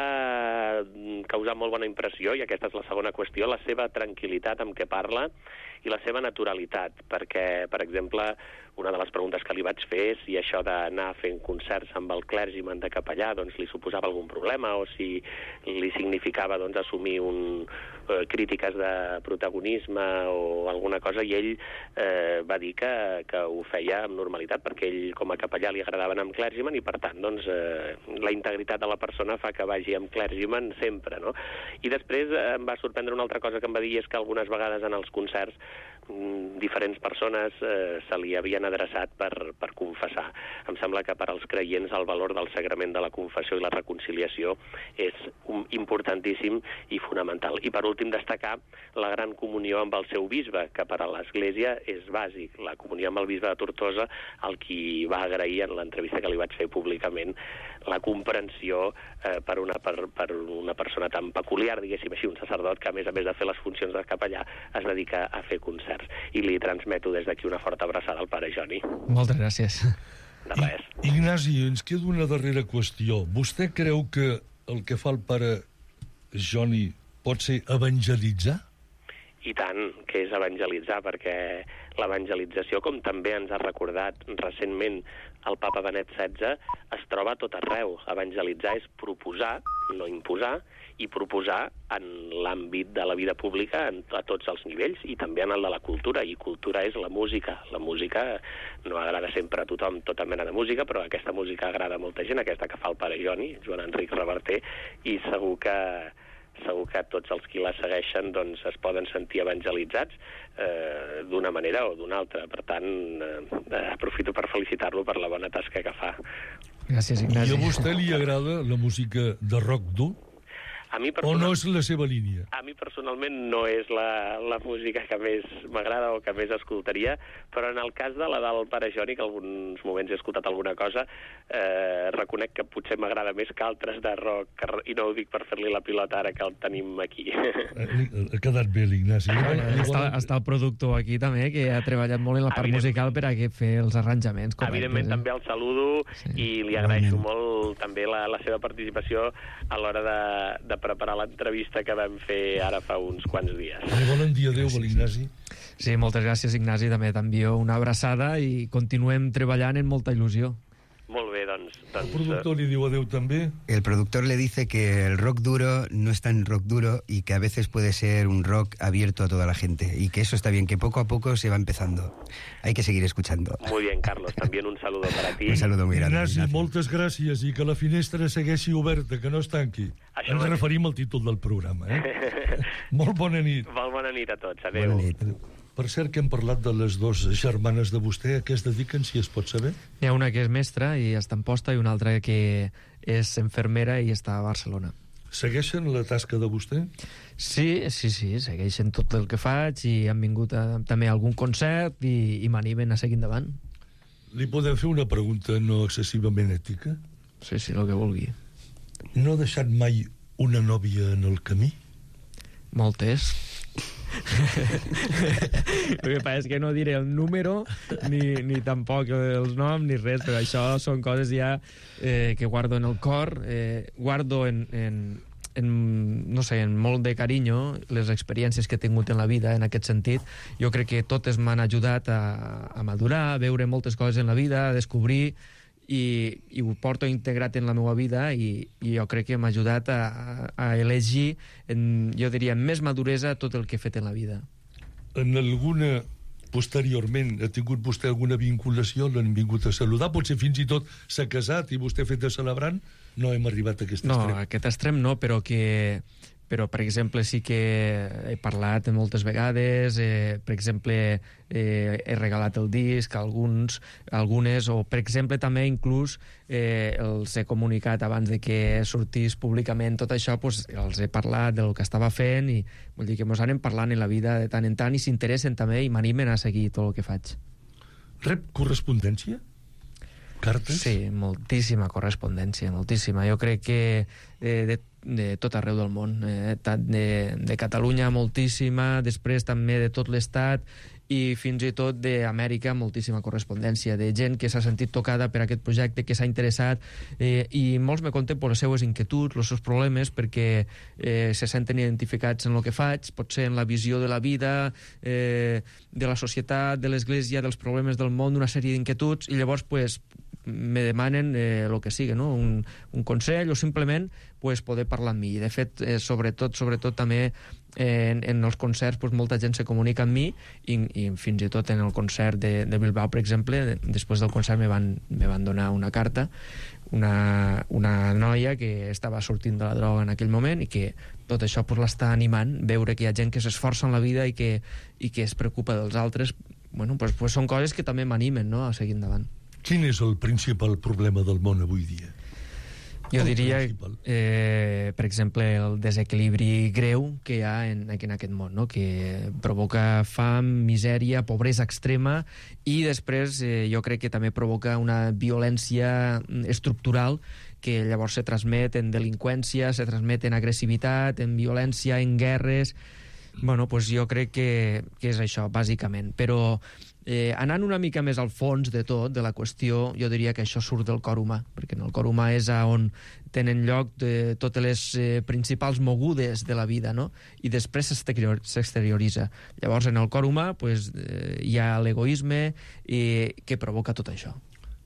Speaker 13: causar molt bona impressió, i aquesta és la segona qüestió, la seva tranquil·litat amb què parla i la seva naturalitat, perquè, per exemple, una de les preguntes que li vaig fer és si això d'anar fent concerts amb el clergyman de capellà doncs, li suposava algun problema o si li significava doncs, assumir un, eh, crítiques de protagonisme o alguna cosa, i ell eh, va dir que, que ho feia amb normalitat perquè ell com a capellà li agradava anar amb clergyman i per tant doncs, eh, la integritat de la persona fa que vagi amb clergyman sempre, no? I després eh, em va sorprendre una altra cosa que em va dir, és que algunes vegades en els concerts diferents persones eh, se li havien han adreçat per, per confessar. Em sembla que per als creients el valor del sagrament de la confessió i la reconciliació és un, importantíssim i fonamental. I per últim destacar la gran comunió amb el seu bisbe, que per a l'Església és bàsic. La comunió amb el bisbe de Tortosa, el qui va agrair en l'entrevista que li vaig fer públicament la comprensió eh, per, una, per, per una persona tan peculiar, diguéssim així, un sacerdot que a més a més de fer les funcions de capellà es dedica a fer concerts. I li transmeto des d'aquí una forta abraçada al pare Joni.
Speaker 7: Moltes gràcies.
Speaker 13: De res.
Speaker 6: I, Ignasi, ens queda una darrera qüestió. Vostè creu que el que fa el pare Joni pot ser evangelitzar?
Speaker 13: I tant, que és evangelitzar, perquè l'evangelització, com també ens ha recordat recentment el papa Benet setze, es troba a tot arreu. Evangelitzar és proposar, no imposar, i proposar en l'àmbit de la vida pública a tots els nivells i també en el de la cultura, i cultura és la música. La música no agrada sempre a tothom, tota mena de música, però aquesta música agrada a molta gent, aquesta que fa el pare Joni, Joan Enric Reverter, i segur que segur que tots els qui la segueixen doncs, es poden sentir evangelitzats eh, d'una manera o d'una altra. Per tant, eh, aprofito per felicitar-lo per la bona tasca que fa.
Speaker 7: Gràcies, Ignasi.
Speaker 6: I a vostè li agrada la música de rock dur?
Speaker 13: A mi
Speaker 6: o no és la seva línia?
Speaker 13: A mi personalment no és la, la música que més m'agrada o que més escoltaria, però en el cas de la del pare Joni, que alguns moments he escoltat alguna cosa, eh, reconec que potser m'agrada més que altres de rock, i no ho dic per fer-li la pilota ara que el tenim aquí.
Speaker 6: Ha quedat bé l'Ignasi.
Speaker 7: Està, està el productor aquí també, que ha treballat molt en la part musical per a fer els arranjaments correctes.
Speaker 13: Evidentment, eh? També el saludo sí. I li agraeixo molt també la, la seva participació a l'hora de, de preparar l'entrevista que vam fer ara fa uns quants dies.
Speaker 6: Bon dia, adéu, l'Ignasi.
Speaker 7: Sí, moltes gràcies, Ignasi. També t'envio una abraçada i continuem treballant en molta il·lusió.
Speaker 13: Molt bé, doncs... doncs
Speaker 6: el productor li diu adéu també.
Speaker 9: El productor le dice que el rock duro no es tan rock duro y que a veces puede ser un rock abierto a toda la gente y que eso está bien, que poco a poco se va empezando. Hay que seguir escuchando.
Speaker 13: Muy bien, Carlos. También un saludo para ti.
Speaker 9: Un saludo muy grande.
Speaker 6: Ignasi, moltes gràcies i que la finestra segueixi oberta, que no es tanqui. Això Ens referim al títol del programa, eh? Molt bona nit.
Speaker 13: Molt bona nit a tots. Adéu.
Speaker 9: Bona nit.
Speaker 6: Per cert, que hem parlat de les dues germanes de vostè. A què es dediquen, si es pot saber?
Speaker 7: Hi ha una que és mestra i està a Amposta i una altra que és infermera i està a Barcelona.
Speaker 6: Segueixen la tasca de vostè?
Speaker 7: Sí, sí, sí, segueixen tot el que faig i han vingut a, també a algun concert i, i m'animen a seguir endavant.
Speaker 6: Li podem fer una pregunta no excessivament ètica?
Speaker 7: Sí, sí, el que vulgui.
Speaker 6: No ha deixat mai una nòvia en el camí?
Speaker 7: Moltes. El que passa és que no diré el número ni, ni tampoc els noms ni res, però això són coses ja eh, que guardo en el cor, eh, guardo en, en, en, no sé, en molt de carinyo les experiències que he tingut en la vida en aquest sentit. Jo crec que totes m'han ajudat a, a madurar, a veure moltes coses en la vida, a descobrir, i, i ho porto integrat en la meva vida i, i jo crec que m'ha ajudat a, a elegir, en, jo diria, amb més maduresa tot el que he fet en la vida.
Speaker 6: En alguna, posteriorment, ha tingut vostè alguna vinculació? L'han vingut a saludar? Potser fins i tot s'ha casat i vostè ha fet de celebrant? No hem arribat a aquest
Speaker 7: no,
Speaker 6: extrem.
Speaker 7: No, aquest extrem no, però que... però, per exemple, sí que he parlat moltes vegades, eh, per exemple, eh, he regalat el disc a alguns, algunes, o, per exemple, també inclús eh, els he comunicat abans de que sortís públicament tot això, doncs, els he parlat del que estava fent i vull dir que mos anem parlant en la vida de tant en tant i s'interessen també i m'animen a seguir tot el que faig.
Speaker 6: Rep correspondència? Cartes?
Speaker 7: Sí, moltíssima correspondència, moltíssima. Jo crec que eh, de, de tot arreu del món, eh, tant de, de Catalunya moltíssima, després també de tot l'Estat i fins i tot d'Amèrica moltíssima correspondència, de gent que s'ha sentit tocada per aquest projecte, que s'ha interessat eh, i molts me conten per les seues inquietuds, els seus problemes, perquè eh, se senten identificats en el que faig, potser en la visió de la vida, eh, de la societat, de l'Església, dels problemes del món, una sèrie d'inquietuds, i llavors pues, me demanen el eh, que sigui, no? un, un consell o simplement pues, poder parlar amb mi. I de fet, eh, sobretot, sobretot també eh, en, en els concerts pues, molta gent se comunica amb mi i, i fins i tot en el concert de, de Bilbao, per exemple, de, després del concert me van, me van donar una carta, una, una noia que estava sortint de la droga en aquell moment i que tot això pues, l'està animant, veure que hi ha gent que s'esforça en la vida i que, i que es preocupa dels altres bueno, pues, pues són coses que també m'animen, no?, a seguir endavant.
Speaker 6: Quin és el principal problema del món avui dia?
Speaker 7: Jo diria, eh, per exemple, el desequilibri greu que hi ha en, en aquest món, no?, que provoca fam, misèria, pobresa extrema, i després eh, jo crec que també provoca una violència estructural que llavors se transmet en delinqüència, se transmet en agressivitat, en violència, en guerres. Bueno, doncs jo crec que, que és això, bàsicament. Però eh, anant una mica més al fons de tot, de la qüestió, jo diria que això surt del cor humà, perquè en el cor humà és on tenen lloc de totes les eh, principals mogudes de la vida, no?, i després s'exterior, s'exterioritza. Llavors, en el cor humà pues, eh, hi ha l'egoisme eh, que provoca tot això.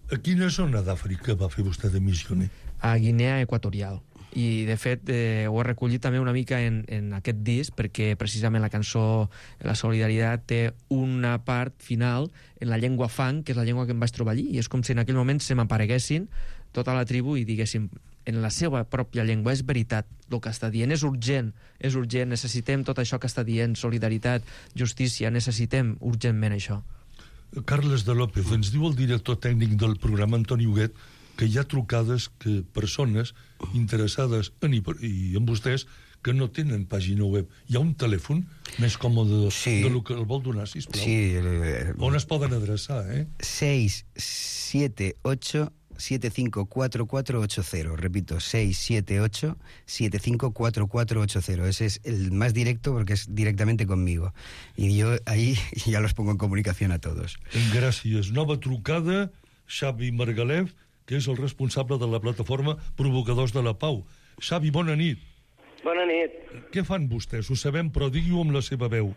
Speaker 6: A quina zona d'Àfrica va fer vostè de missioner?
Speaker 7: A Guinea Equatorial. I, de fet, eh, ho he recollit també una mica en, en aquest disc, perquè precisament la cançó La Solidaritat té una part final en la llengua fang, que és la llengua que em vaig trobar allí, i és com si en aquell moment se m'apareguessin tota la tribu i diguéssim en la seva pròpia llengua, és veritat el que està dient, és urgent, és urgent, necessitem tot això que està dient, solidaritat, justícia, necessitem urgentment això.
Speaker 6: Carles de López, ens diu el director tècnic del programa, Antoni Huguet, que hi ha trucades que persones interessades en, i en vostès que no tenen pàgina web. Hi ha un telèfon més còmode sí. de lo que el vol donar, sisplau?
Speaker 9: Sí. El,
Speaker 6: on es poden adreçar, eh?
Speaker 9: seis siete ocho siete cinco cuatro cuatro ocho cero. Repito, seis siete ocho siete cinco cuatro cuatro ocho cero. Ese es el más directo porque es directamente conmigo. Y yo ahí ya los pongo en comunicación a todos.
Speaker 6: Gràcies. Nova trucada, Xavi Margalef, que és el responsable de la plataforma Provocadors de la Pau. Xavi, bona nit.
Speaker 14: Bona nit.
Speaker 6: Què fan vostès? Ho sabem, però digui-ho amb la seva veu.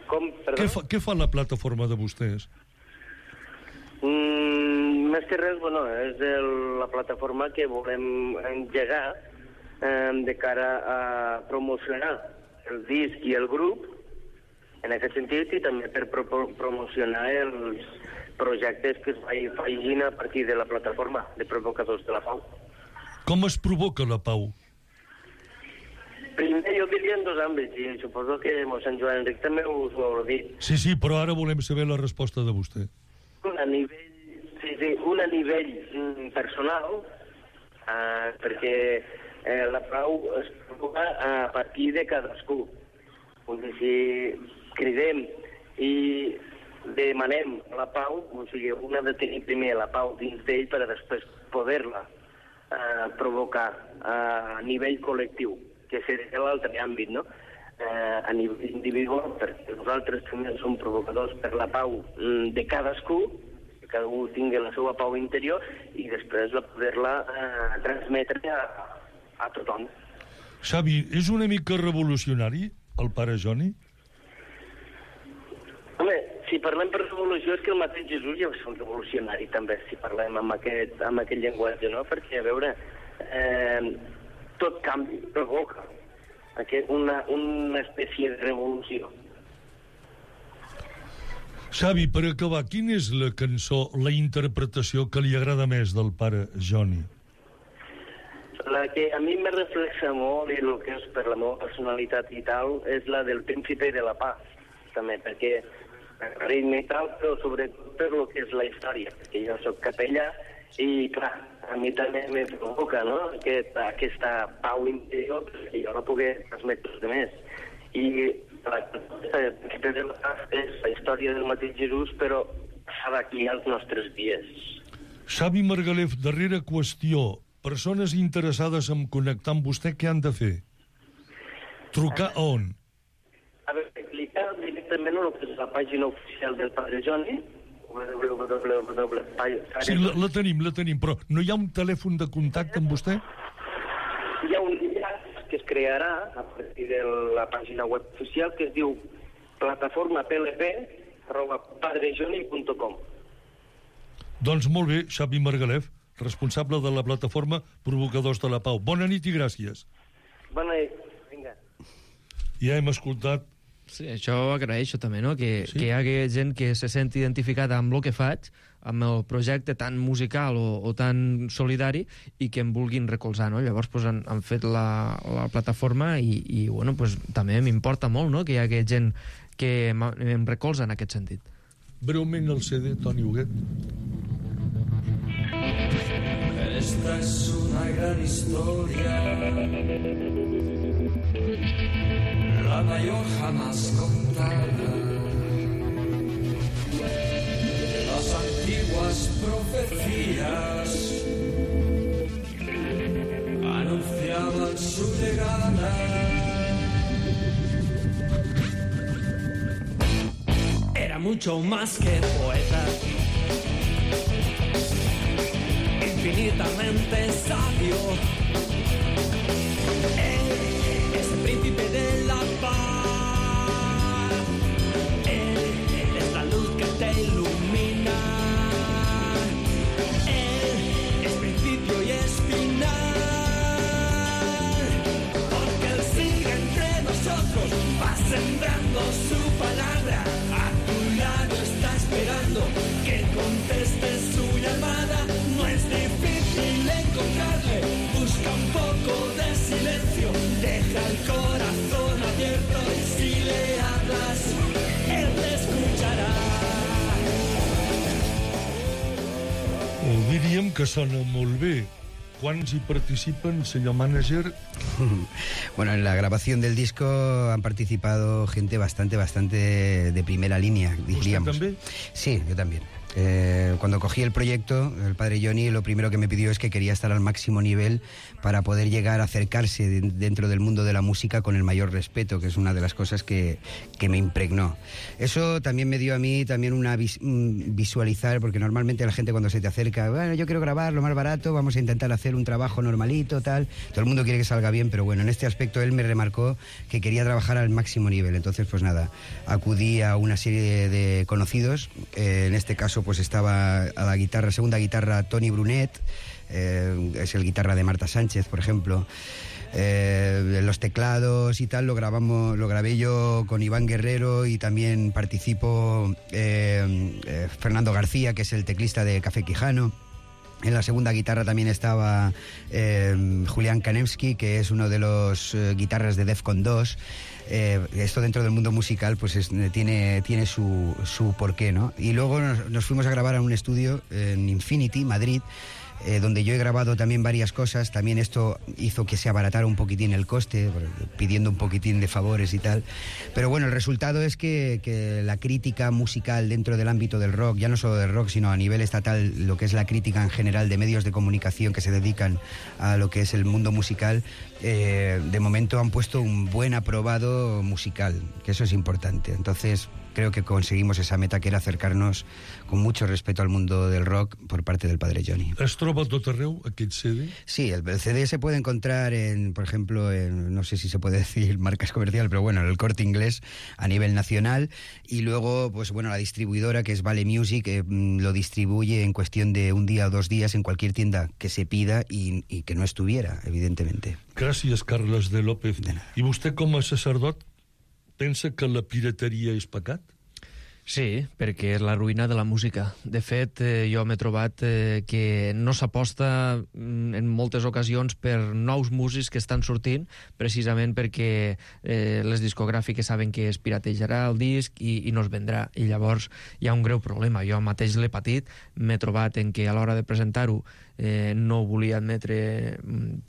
Speaker 14: Com? Perdó?
Speaker 6: Què fa, què fa la plataforma de vostès?
Speaker 14: Mm, més que res, bueno, és el, la plataforma que volem engegar eh, de cara a promocionar el disc i el grup, en aquest sentit, i també per pro promocionar els projectes que es facin a partir de la plataforma de Provocadors de la Pau.
Speaker 6: Com es provoca la pau?
Speaker 14: Primer, jo diria en dos àmbits, i suposo que mossèn Joan Enric també us ho haurà dit.
Speaker 6: Sí, sí, però ara volem saber la resposta de vostè.
Speaker 14: Un a nivell, sí, sí, un a nivell mm, personal, eh, perquè eh, la pau es provoca a partir de cadascú. Vull dir, si cridem i demanem la pau, o sigui, un ha de tenir primer la pau dins d'ell per a després poder-la eh, provocar a nivell col·lectiu, que seria l'altre àmbit, no? Eh, a nivell individual, perquè nosaltres també som provocadors per la pau de cadascú, que cadascú tingui la seva pau interior, i després la poder-la eh, transmetre a, a tothom.
Speaker 6: Xavi, és una mica revolucionari el pare Joni?
Speaker 14: Home, si parlem per revolució és que el mateix Jesús ja és un revolucionari també, si parlem amb aquest, amb aquest llenguatge, no? Perquè, a veure, eh, tot canvi provoca aquest, una, una espècie de revolució.
Speaker 6: Xavi, per acabar, quina és la cançó, la interpretació que li agrada més del pare Joni?
Speaker 14: La que a mi me reflexa molt i el que és per la meva personalitat i tal és la del Príncipe de la Paz, també, perquè ritme i tal, però sobretot per lo que és la història, perquè jo soc capellà i, clar, a mi també me provoca, no?, Aquest, aquesta pau interior que jo no pugui transmetre els demés. I la Príncipe de la Paz és la història del mateix Jesús, però passada aquí als nostres dies.
Speaker 6: Xavi Margalef, darrera qüestió. Persones interessades en connectar amb vostè, què han de fer? Trucar a on?
Speaker 14: A veure, clicar directament a la pàgina oficial del Padre Joni, w w w punt
Speaker 6: Sí, la, la tenim, la tenim, però no hi ha un telèfon de contacte amb vostè?
Speaker 14: Hi ha un enllaç que es crearà a partir de la pàgina web oficial que es diu plataforma p l p arroba padrejoni punt com.
Speaker 6: Doncs molt bé, Xavi Margalef, responsable de la plataforma Provocadors de la Pau. Bona nit i gràcies.
Speaker 14: Bona nit, vinga.
Speaker 6: Ja hem escoltat...
Speaker 7: Sí, això ho agraeixo també, no? Que,
Speaker 6: sí?
Speaker 7: que hi hagi gent que se senti identificada amb el que faig, amb el projecte tan musical o, o tan solidari, i que em vulguin recolzar, no? Llavors pues, han, han fet la, la plataforma i, i bueno, pues, també m'importa molt, no?, que hi hagi gent que em recolza en aquest sentit.
Speaker 6: breument el C D, Toni Huguet.
Speaker 10: Esta es una gran historia, la mayor jamás contada. Las antiguas profecías anunciaban su llegada. Era mucho más que poeta, infinitamente sabio. Él es el príncipe de la paz. Él es la luz que te ilumina. Él es principio y es final. Porque Él sigue entre nosotros, va sembrando su palabra. A tu lado está esperando que contestes su llamada. No es difícil encontrarle, busca un poco de silencio, deja el corazón abierto y si le hablas, él te escuchará.
Speaker 6: Ho diríem que sona molt bé. ¿Cuántos participan, señor manager?
Speaker 9: Bueno, en la grabación del disco han participado gente bastante, bastante de primera línea, diríamos.
Speaker 6: ¿Usted también?
Speaker 9: Sí, yo también. Eh, cuando cogí el proyecto, el padre Johnny lo primero que me pidió es que quería estar al máximo nivel para poder llegar a acercarse de, dentro del mundo de la música con el mayor respeto, que es una de las cosas que, que me impregnó. Eso también me dio a mí también una vis, un visualizar, porque normalmente la gente cuando se te acerca, bueno, yo quiero grabar lo más barato, vamos a intentar hacer un trabajo normalito, tal. Todo el mundo quiere que salga bien, pero bueno, en este aspecto él me remarcó que quería trabajar al máximo nivel. Entonces, pues nada, acudí a una serie de, de conocidos, eh, en este caso pues estaba a la guitarra, segunda guitarra, Toni Brunet, eh, es el guitarra de Marta Sánchez, por ejemplo. Eh, los teclados y tal lo grabamos, lo grabé yo con Iván Guerrero y también participó eh, eh, Fernando García, que es el teclista de Café Quijano. En la segunda guitarra también estaba eh, Julián Kanemski, que es uno de los eh, guitarras de Defcon dos. Eh, esto dentro del mundo musical pues es, tiene, tiene su, su porqué, ¿no? Y luego nos, nos fuimos a grabar a un estudio en Infinity, Madrid, eh, donde yo he grabado también varias cosas. También esto hizo que se abaratara un poquitín el coste, pidiendo un poquitín de favores y tal. Pero bueno, el resultado es que, que la crítica musical dentro del ámbito del rock, ya no solo del rock, sino a nivel estatal, lo que es la crítica en general de medios de comunicación que se dedican a lo que es el mundo musical, eh, de momento han puesto un buen aprobado musical, que eso es importante. Entonces creo que conseguimos esa meta, que era acercarnos con mucho respeto al mundo del rock por parte del padre Johnny.
Speaker 6: Es troba a tot arreu, aquest C D?
Speaker 9: Sí, el, el C D se puede encontrar en, por ejemplo, en, no sé si se puede decir marcas comerciales, pero bueno, en el Corte Inglés a nivel nacional, y luego, pues bueno, la distribuidora, que es Vale Music, eh, lo distribuye en cuestión de un día o dos días en cualquier tienda que se pida y, y que no estuviera, evidentemente.
Speaker 6: Gràcies, Carles de López. I vostè, com a sacerdot, pensa que la pirateria és pecat?
Speaker 7: Sí, perquè és la ruïna de la música. De fet, eh, jo m'he trobat eh, que no s'aposta en moltes ocasions per nous músics que estan sortint, precisament perquè eh, les discogràfiques saben que es piratejarà el disc i, i no es vendrà. I llavors hi ha un greu problema. Jo mateix l'he patit, m'he trobat en que a l'hora de presentar-ho eh, no volia admetre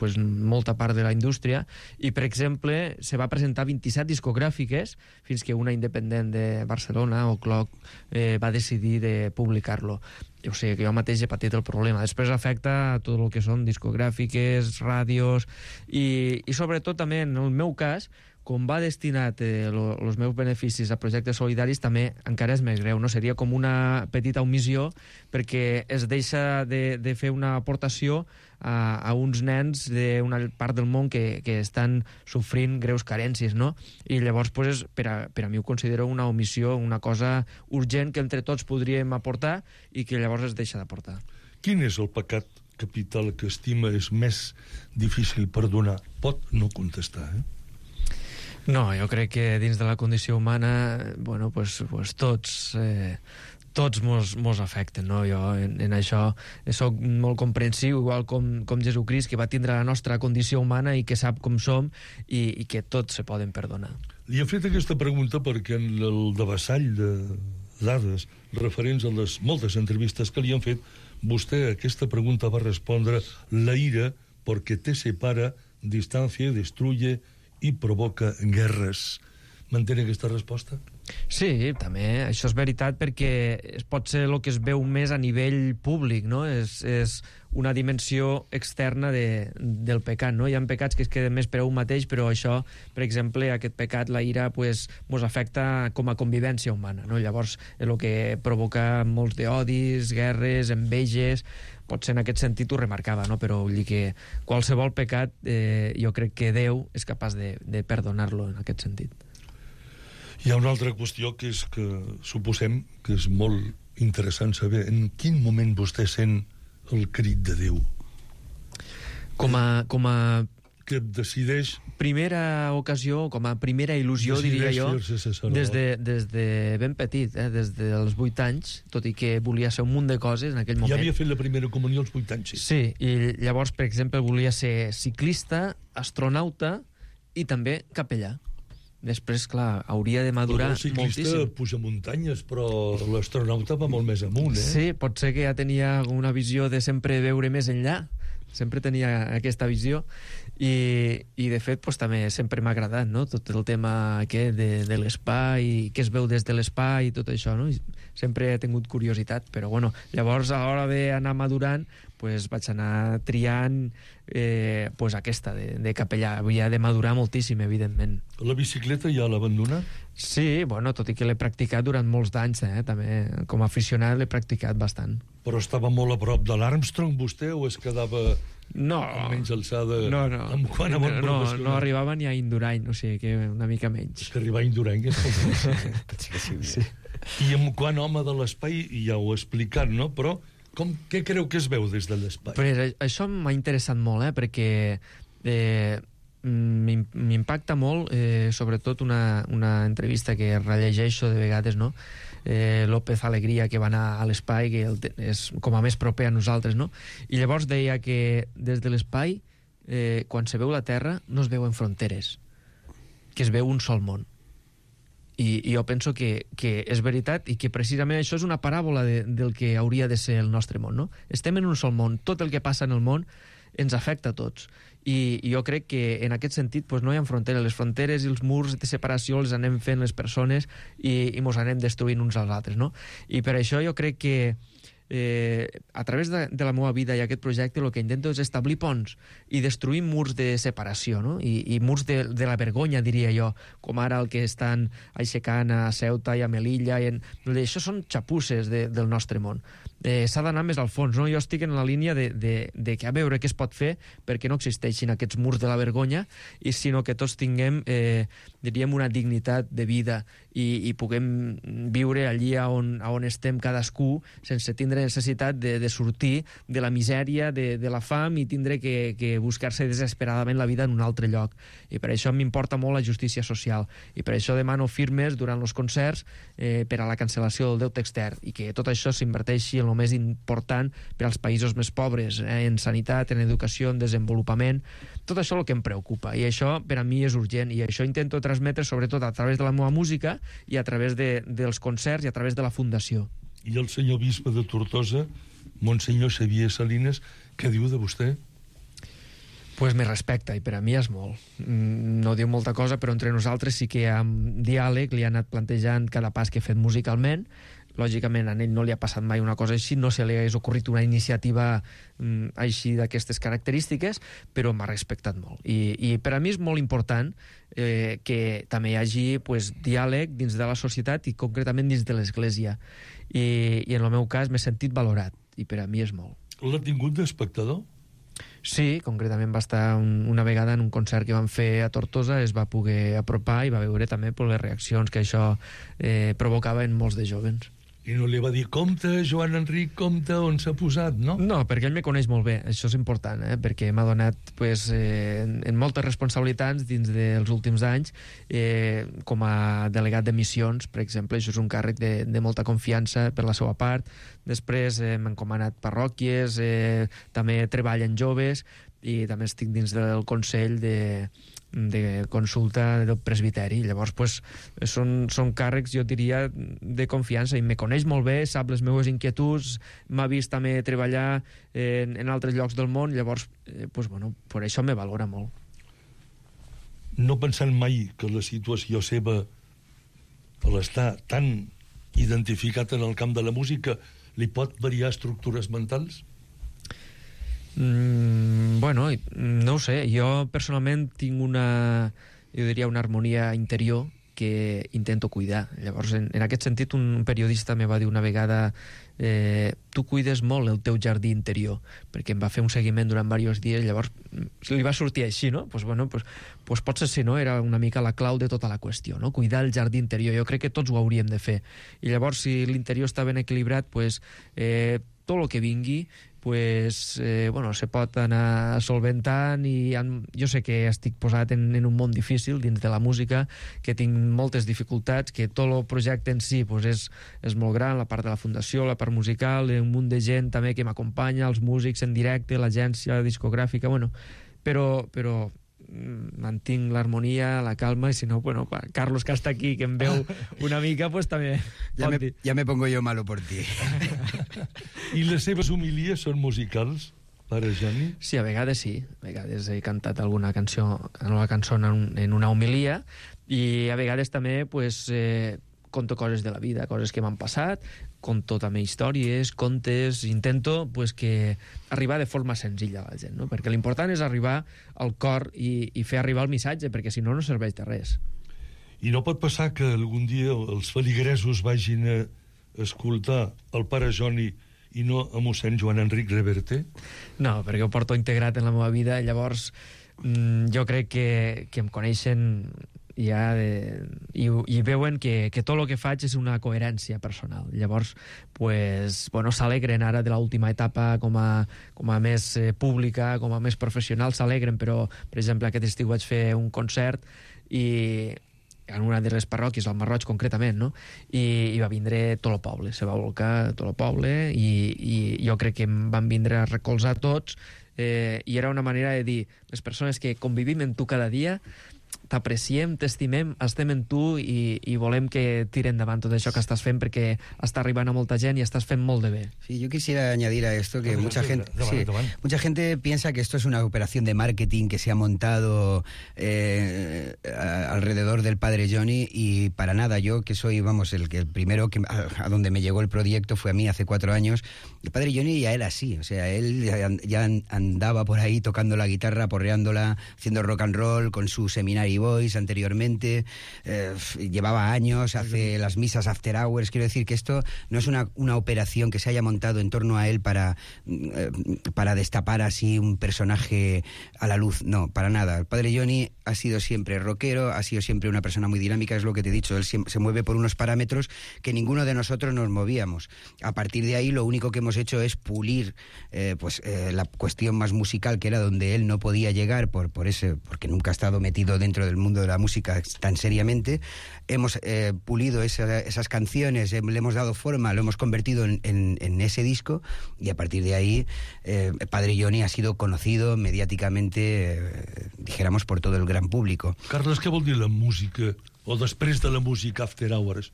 Speaker 7: pues, molta part de la indústria i, per exemple, se va presentar vint-i-set discogràfiques fins que una independent de Barcelona o Clock eh, va decidir de publicar-lo. O sigui que jo mateix he patit el problema. Després afecta a tot el que són discogràfiques, ràdios i, i sobretot també en el meu cas, com va destinat eh, lo, els meus beneficis a projectes solidaris, també encara és més greu, no? Seria com una petita omissió perquè es deixa de, de fer una aportació a, a uns nens d'una part del món que, que estan sofrint greus carències, no? I llavors, pues, per, a, per a mi ho considero una omissió, una cosa urgent que entre tots podríem aportar i que llavors es deixa d'aportar.
Speaker 6: Quin és el pecat capital que estima és més difícil perdonar? Pot no contestar, eh?
Speaker 7: No, jo crec que dins de la condició humana, bueno, pues, pues tots, eh, tots mos, mos afecten, no? Jo en, en això soc molt comprensiu, igual com, com Jesucrist, que va tindre la nostra condició humana i que sap com som i, i que tots se poden perdonar.
Speaker 6: Li he fet aquesta pregunta perquè en el devessall de dades referents a les moltes entrevistes que li han fet, vostè a aquesta pregunta va respondre: la ira, porque te separa, distancia, destruye i provoca guerres. Mantén aquesta resposta?
Speaker 7: Sí, també, això és veritat, perquè es pot ser el que es veu més a nivell públic, no? És, és una dimensió externa de, del pecat, no? Hi ha pecats que es queden més per a un mateix, però això, per exemple, aquest pecat, la ira, pues, mos afecta com a convivència humana, no? Llavors, és el que provoca molts d'odis, guerres, enveges. Potser en aquest sentit ho remarcava, no? Però vull dir que qualsevol pecat, eh, jo crec que Déu és capaç de, de perdonar-lo en aquest sentit.
Speaker 6: Hi ha una altra qüestió que és que suposem que és molt interessant saber en quin moment vostè sent el crit de Déu.
Speaker 7: Com a... Com a...
Speaker 6: que decideix...
Speaker 7: Primera ocasió, com a primera il·lusió, diria jo, des de, des de ben petit, eh, des dels vuit anys, tot i que volia ser un munt de coses en aquell moment.
Speaker 6: Ja havia fet la primera comunió als vuit anys, sí.
Speaker 7: Sí, i llavors, per exemple, volia ser ciclista, astronauta i també capellà. Després, clar, hauria de madurar moltíssim.
Speaker 6: El ciclista puja muntanyes, però l'astronauta va molt més amunt, eh?
Speaker 7: Sí, pot ser que ja tenia una visió de sempre veure més enllà. Sempre tenia aquesta visió. I, i de fet, pues, també sempre m'ha agradat, no? Tot el tema aquest de, de l'espai, què es veu des de l'espai i tot això, no? I sempre he tingut curiositat, però bueno, llavors a l'hora d'anar madurant, pues, vaig anar triant eh, pues, aquesta de, de capellà. Havia de madurar moltíssim, evidentment.
Speaker 6: La bicicleta ja l'abandona?
Speaker 7: Sí, bueno, tot i que l'he practicat durant molts d'anys, eh? També com a aficionat l'he practicat bastant.
Speaker 6: Però estava molt a prop de l'Armstrong, vostè, o es quedava
Speaker 7: no,
Speaker 6: amb menys alçada?
Speaker 7: No, no,
Speaker 6: amb quant
Speaker 7: no, no, no arribava ni a Indurain, o sigui que una mica menys.
Speaker 6: És que arribar a Indurain és molt
Speaker 7: sí, sí.
Speaker 6: I amb quant home de l'espai, ja ho he explicat, no? Però com, què creu que es veu des de l'espai?
Speaker 7: Però això m'ha interessat molt, eh? Perquè eh, m'impacta molt, eh, sobretot una, una entrevista que rellegeixo de vegades, no? Eh, López Alegría, que va anar a l'espai, que el, és com a més proper a nosaltres, no? I llavors deia que des de l'espai, eh, quan se veu la Terra, no es veuen fronteres, que es veu un sol món. I, i jo penso que, que és veritat i que precisament això és una paràbola de, del que hauria de ser el nostre món, no? Estem en un sol món, tot el que passa en el món ens afecta a tots. I, i jo crec que en aquest sentit pues, no hi ha fronteres. Les fronteres i els murs de separació els anem fent les persones i, i mos anem destruint uns als altres, no? I per això jo crec que eh, a través de, de la meva vida i aquest projecte el que intento és establir ponts i destruir murs de separació, no? I, i murs de, de la vergonya, diria jo, com ara el que estan aixecant a Ceuta i a Melilla. I en... Això són xapusses de, del nostre món. Eh, s'ha d'anar més al fons, no? Jo estic en la línia de, de, de que a veure què es pot fer perquè no existeixin aquests murs de la vergonya, i sinó que tots tinguem, eh, diríem, una dignitat de vida i, i puguem viure allí on, on estem cadascú sense tindre necessitat de, de sortir de la misèria, de, de la fam, i tindre que, que buscar-se desesperadament la vida en un altre lloc. I per això m'importa molt la justícia social, i per això demano firmes durant els concerts eh, per a la cancel·lació del deute extern, i que tot això s'inverteixi en el més important per als països més pobres, eh, en sanitat, en educació, en desenvolupament. Tot això és el que em preocupa, i això per a mi és urgent, i això intento transmetre sobretot a través de la meva música i a través de, dels concerts i a través de la fundació.
Speaker 6: I el senyor bisbe de Tortosa, Monsenyor Xavier Salines, què diu de vostè?
Speaker 7: Pues me respecta, i per a mi és molt. No diu molta cosa, però entre nosaltres sí que amb diàleg li ha anat plantejant cada pas que he fet musicalment. Lògicament a ell no li ha passat mai una cosa així, no se li hagués ocorrit una iniciativa mm, així d'aquestes característiques, però m'ha respectat molt. I, i per a mi és molt important eh, que també hi hagi pues, diàleg dins de la societat i concretament dins de l'Església. I, i en el meu cas m'he sentit valorat, i per a mi és molt.
Speaker 6: L'ha tingut d'espectador?
Speaker 7: Sí, concretament va estar un, una vegada en un concert que van fer a Tortosa, es va poder apropar i va veure també per les reaccions que això eh, provocava en molts de jovens.
Speaker 6: I no li va dir, compte, Joan Enric, compte, on s'ha posat, no?
Speaker 7: No, perquè ell me coneix molt bé, això és important, eh? Perquè m'ha donat pues, eh, en, en moltes responsabilitats dins dels últims anys, eh, com a delegat de missions, per exemple, això és un càrrec de, de molta confiança per la seva part. Després eh, m'ha encomanat parròquies, eh, també treballa en joves, i també estic dins del Consell de, de Consulta del Presbiteri. Llavors, pues, són, són càrrecs, jo diria, de confiança, i me coneix molt bé, sap les meves inquietuds, m'ha vist també treballar en, en altres llocs del món, llavors, eh, pues, bueno, per això me valora molt.
Speaker 6: No pensant mai que la situació seva, a l'estar tan identificat en el camp de la música, li pot variar estructures mentals?
Speaker 7: Mm, bueno, no ho sé. Jo personalment tinc una, jo diria, una harmonia interior que intento cuidar. Llavors, en, en aquest sentit, un periodista me va dir una vegada eh, tu cuides molt el teu jardí interior, perquè em va fer un seguiment durant diversos dies, llavors li va sortir així, no? Pues, bueno, pues, pues potser sí, no? Era una mica la clau de tota la qüestió, no? Cuidar el jardí interior. Jo crec que tots ho hauríem de fer. I llavors, si l'interior està ben equilibrat, pues, eh, tot el que vingui, pues, eh, bueno, se pot anar solventant, i en, jo sé que estic posat en, en un món difícil dins de la música, que tinc moltes dificultats, que tot el projecte en si pues, és, és molt gran, la part de la fundació, la part musical, un munt de gent també que m'acompanya, els músics en directe, l'agència discogràfica, bueno, però, però mantinc l'harmonia, la calma, i si no, bueno, Carlos, que està aquí, que em veu una mica, pues també
Speaker 9: ja me, ja me pongo yo malo por ti.
Speaker 6: I les seves homilies són musicals, pare Joni?
Speaker 7: Sí, a vegades sí. A vegades he cantat alguna cançó, una cançó en, en una homilia, i a vegades també, pues, eh, conto coses de la vida, coses que m'han passat, conto també històries, contes, intento pues, que arribar de forma senzilla a la gent, no? Perquè l'important és arribar al cor i, i fer arribar el missatge, perquè si no, no serveix de res.
Speaker 6: I no pot passar que algun dia els feligresos vagin a escoltar el pare Joni i no a mossèn Joan Enric Reverte?
Speaker 7: No, perquè ho porto integrat en la meva vida, llavors mmm, jo crec que, que em coneixen ja de, i, i veuen que, que tot el que faig és una coherència personal. Llavors, pues, bueno, s'alegren ara de l'última etapa com a, com a més eh, pública, com a més professional, s'alegren, però, per exemple, aquest estiu vaig fer un concert i en una de les parròquies, al Marroig concretament, no? I, i va vindre tot el poble, se va volcar tot el poble, i, i jo crec que em van vindre a recolzar tots, eh, i era una manera de dir, les persones que convivim amb tu cada dia, t'apreciem, t'estimem, estem en tu i, y volem que tiren endavant tot això que estàs fent, perquè està arribant a molta gent y estás fent molt de bé.
Speaker 9: Sí, yo quisiera añadir a esto que
Speaker 6: no,
Speaker 9: mucha
Speaker 6: no,
Speaker 9: gente
Speaker 6: no,
Speaker 9: sí,
Speaker 6: no, no, no.
Speaker 9: mucha gente piensa que esto es una operación de marketing que se ha montado eh, a, alrededor del padre Joni, y para nada. Yo, que soy, vamos, el, el primero que a, a donde me llegó el proyecto fue a mí hace cuatro años. El padre Joni ya era así, o sea, él ya, ya andaba por ahí tocando la guitarra, porreándola, haciendo rock and roll con su Seminary Boys anteriormente, eh, llevaba años, hace las misas after hours. Quiero decir que esto no es una, una operación que se haya montado en torno a él para, eh, para destapar así un personaje a la luz, no, para nada. El padre Joni ha sido siempre rockero, ha sido siempre una persona muy dinámica, es lo que te he dicho, él se mueve por unos parámetros que ninguno de nosotros nos movíamos. A partir de ahí lo único que hemos hecho es pulir eh, pues eh, la cuestión más musical, que era donde él no podía llegar por, por ese, porque nunca ha estado metido dentro del mundo de la música tan seriamente. Hemos eh, pulido esa, esas canciones, eh, le hemos dado forma, lo hemos convertido en, en, en ese disco, y a partir de ahí eh, Padre Joni ha sido conocido mediáticamente, eh, dijéramos, por todo el gran público.
Speaker 6: Carles, què vol dir la música, o després de la música after hours?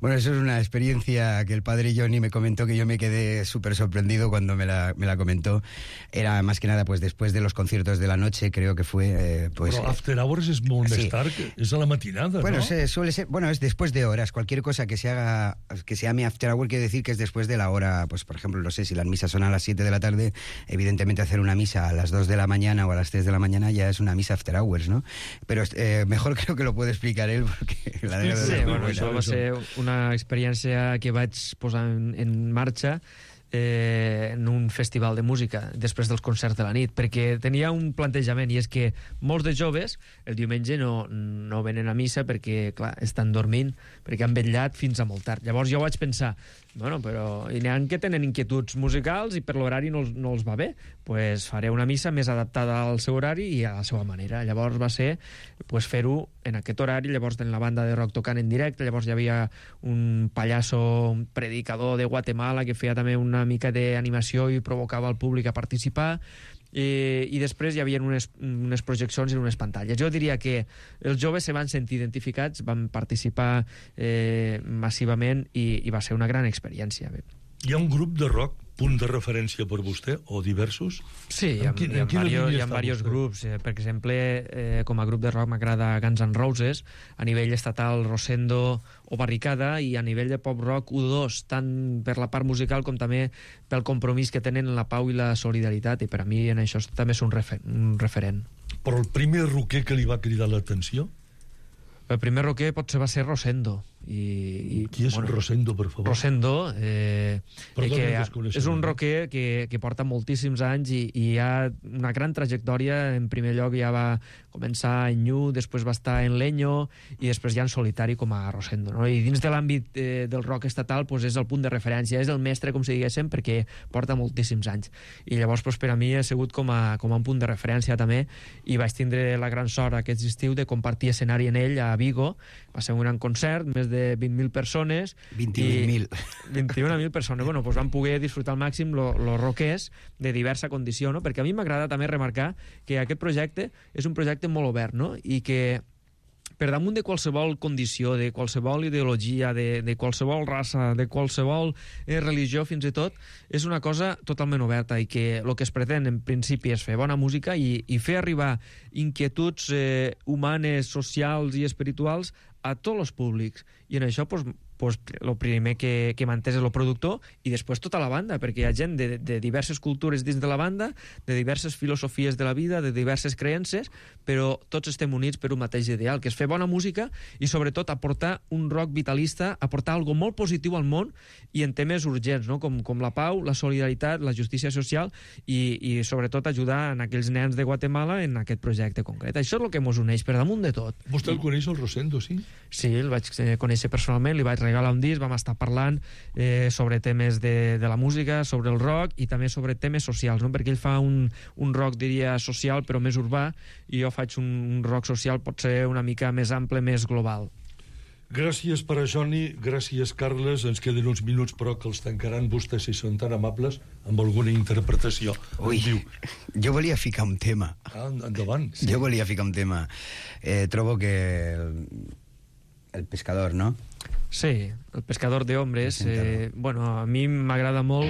Speaker 9: Bueno, eso es una experiencia que el padre Joni me comentó, que yo me quedé súper sorprendido cuando me la, me la comentó. Era más que nada pues después de los conciertos de la noche, creo que fue... Eh, pues,
Speaker 6: Però after hours és molt
Speaker 9: sí.
Speaker 6: més tard, és a la matinada,
Speaker 9: bueno,
Speaker 6: ¿no?
Speaker 9: Se, suele ser, bueno, es después de horas. Cualquier cosa que se haga, que se llame after hour, quiere decir que es después de la hora. Pues por ejemplo, no sé, si las misas son a las siete de la tarde, evidentemente hacer una misa a las dos de la mañana o a las tres de la mañana ya es una misa after hours, ¿no? Pero eh, mejor creo que lo puede explicar él, porque la de
Speaker 7: Sí, sí, bueno, això va ser una experiència que vaig posar en, en marxa eh, en un festival de música després dels concerts de la nit, perquè tenia un plantejament, i és que molts de joves el diumenge no, no venen a missa perquè, clar, estan dormint, perquè han vetllat fins a molt tard. Llavors jo vaig pensar, bueno, però n'hi ha que tenen inquietuds musicals i per l'horari no, no els va bé, pues faré una missa més adaptada al seu horari i a la seva manera. Llavors va ser pues, fer-ho en aquest horari, llavors en la banda de rock tocant en directe, llavors hi havia un pallasso, un predicador de Guatemala que feia també una una mica d'animació i provocava el públic a participar. I, i després hi havia unes, unes projeccions en unes pantalles. Jo diria que els joves se van sentir identificats, van participar eh, massivament i, i va ser una gran experiència.
Speaker 6: Hi ha un grup de rock, punt de referència per vostè, o diversos?
Speaker 7: Sí, hi ha,
Speaker 6: quin,
Speaker 7: hi ha, vario, hi ha diversos grups. Eh, per exemple, eh, com a grup de rock m'agrada Guns N' Roses, a nivell estatal Rosendo o Barricada, i a nivell de pop rock U dos, tant per la part musical com també pel compromís que tenen en la pau i la solidaritat, i per a mi en això també és un, refer un referent.
Speaker 6: Però el primer rocker que li va cridar l'atenció?
Speaker 7: El primer rocker potser va ser Rosendo. I, i,
Speaker 6: Qui és bueno, Rosendo, per favor?
Speaker 7: Rosendo, eh,
Speaker 6: Perdona,
Speaker 7: que és un rocker que, que porta moltíssims anys i, i hi ha una gran trajectòria. En primer lloc ja va començar en Ñu, després va estar en Leño i després ja en solitari com a Rosendo, no? I dins de l'àmbit eh, del rock estatal pues, és el punt de referència, és el mestre, com si diguéssim, perquè porta moltíssims anys. I llavors pues, per a mi ha sigut com a, com a un punt de referència també, i vaig tindre la gran sort aquest estiu de compartir escenari en ell a Vigo. Va ser un gran concert, més de vint mil persones.
Speaker 9: vint-i-un mil.
Speaker 7: vint-i-un mil persones. Bueno, pues van poder disfrutar al màxim los lo rockers de diversa condició, no? Perquè a mi m'agrada també remarcar que aquest projecte és un projecte molt obert, no? I que per damunt de qualsevol condició, de qualsevol ideologia, de, de qualsevol raça, de qualsevol eh, religió, fins i tot, és una cosa totalment oberta, i que el que es pretén en principi és fer bona música i, i fer arribar inquietuds eh, humanes, socials i espirituals a tots els públics. I en això pues, pues, el primer que, que mantés és el productor i després tota la banda, perquè hi ha gent de, de diverses cultures dins de la banda, de diverses filosofies de la vida, de diverses creences, però tots estem units per un mateix ideal, que és fer bona música i sobretot aportar un rock vitalista, aportar algo molt positiu al món i en temes urgents, no? com, com la pau, la solidaritat, la justícia social i, i sobretot ajudar en aquells nens de Guatemala en aquest projecte concret. Això és el que ens uneix per damunt de tot.
Speaker 6: Vostè el coneix, el Rosendo, sí?
Speaker 7: Sí, el vaig conèixer personalment, li vaig regalar un disc, vam estar parlant eh, sobre temes de, de la música, sobre el rock i també sobre temes socials, no? Perquè ell fa un, un rock, diria, social però més urbà, i jo faig un, un rock social potser una mica més ample, més global.
Speaker 6: Gràcies per a Johnny, gràcies Carles, ens queden uns minuts però que els tancaran vostès si són tan amables amb alguna interpretació.
Speaker 9: Ui, jo volia ficar un tema.
Speaker 6: Ah, endavant.
Speaker 9: Sí. Jo volia ficar un tema. Eh, trobo que el, el pescador, no?
Speaker 7: Sí, el pescador de hombres, eh, bueno, a mi m'agrada molt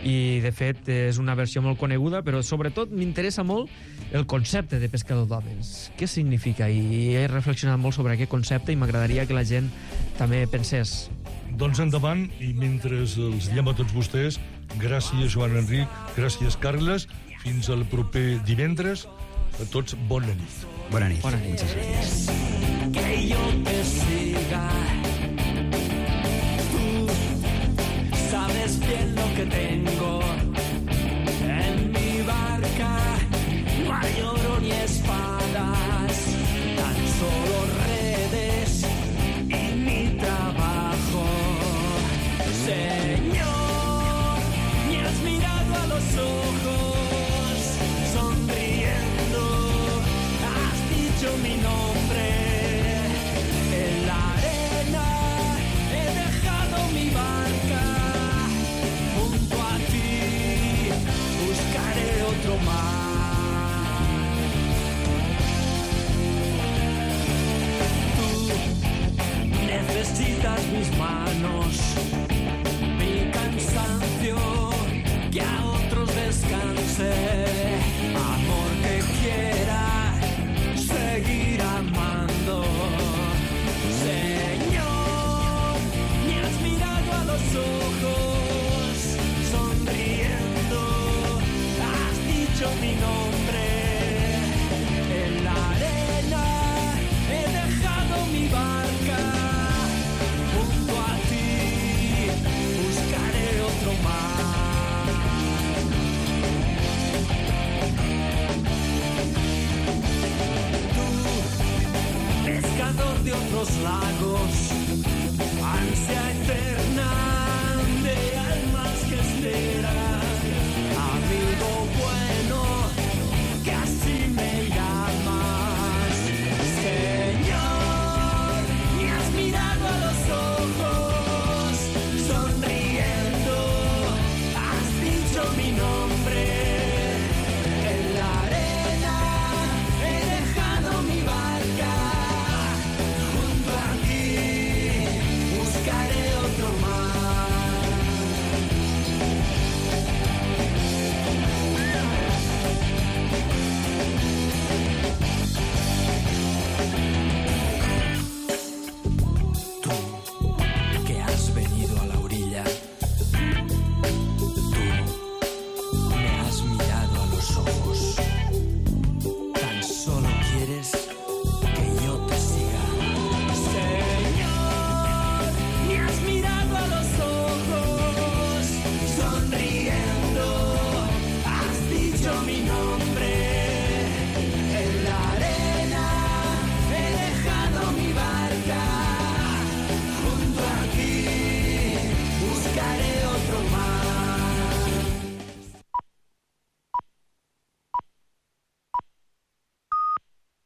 Speaker 7: i de fet és una versió molt coneguda, però sobretot m'interessa molt el concepte de pescador d'homes. Què significa? I he reflexionat molt sobre aquest concepte i m'agradaria que la gent també pensés.
Speaker 6: Doncs endavant, i mentre els diem a tots vostès, gràcies Joan Enric, gràcies Carles, fins al proper divendres, a tots bona nit.
Speaker 9: Bona nit.
Speaker 7: Bona nit.
Speaker 9: Muchas gracias.
Speaker 10: Que yo te siga. Sabes bien lo que tengo en mi barca. No hay oro ni espadas, tan solo redes y mi trabajo. Señor, me has mirado a los ojos, sonriendo, has dicho mi nombre. En la arena he dejado mi barca. Buscaré otro mar. Tú necesitas mis manos, mi cansancio, que a otros descanse. Amor que quiera seguir amando. Señor, me has mirado a los ojos, sonriendo, has dicho mi nombre. En la arena he dejado mi barca. Junto a ti buscaré otro mar. Tú, pescador de otros lagos, ansia eterna de almas que esperan, amigo bueno.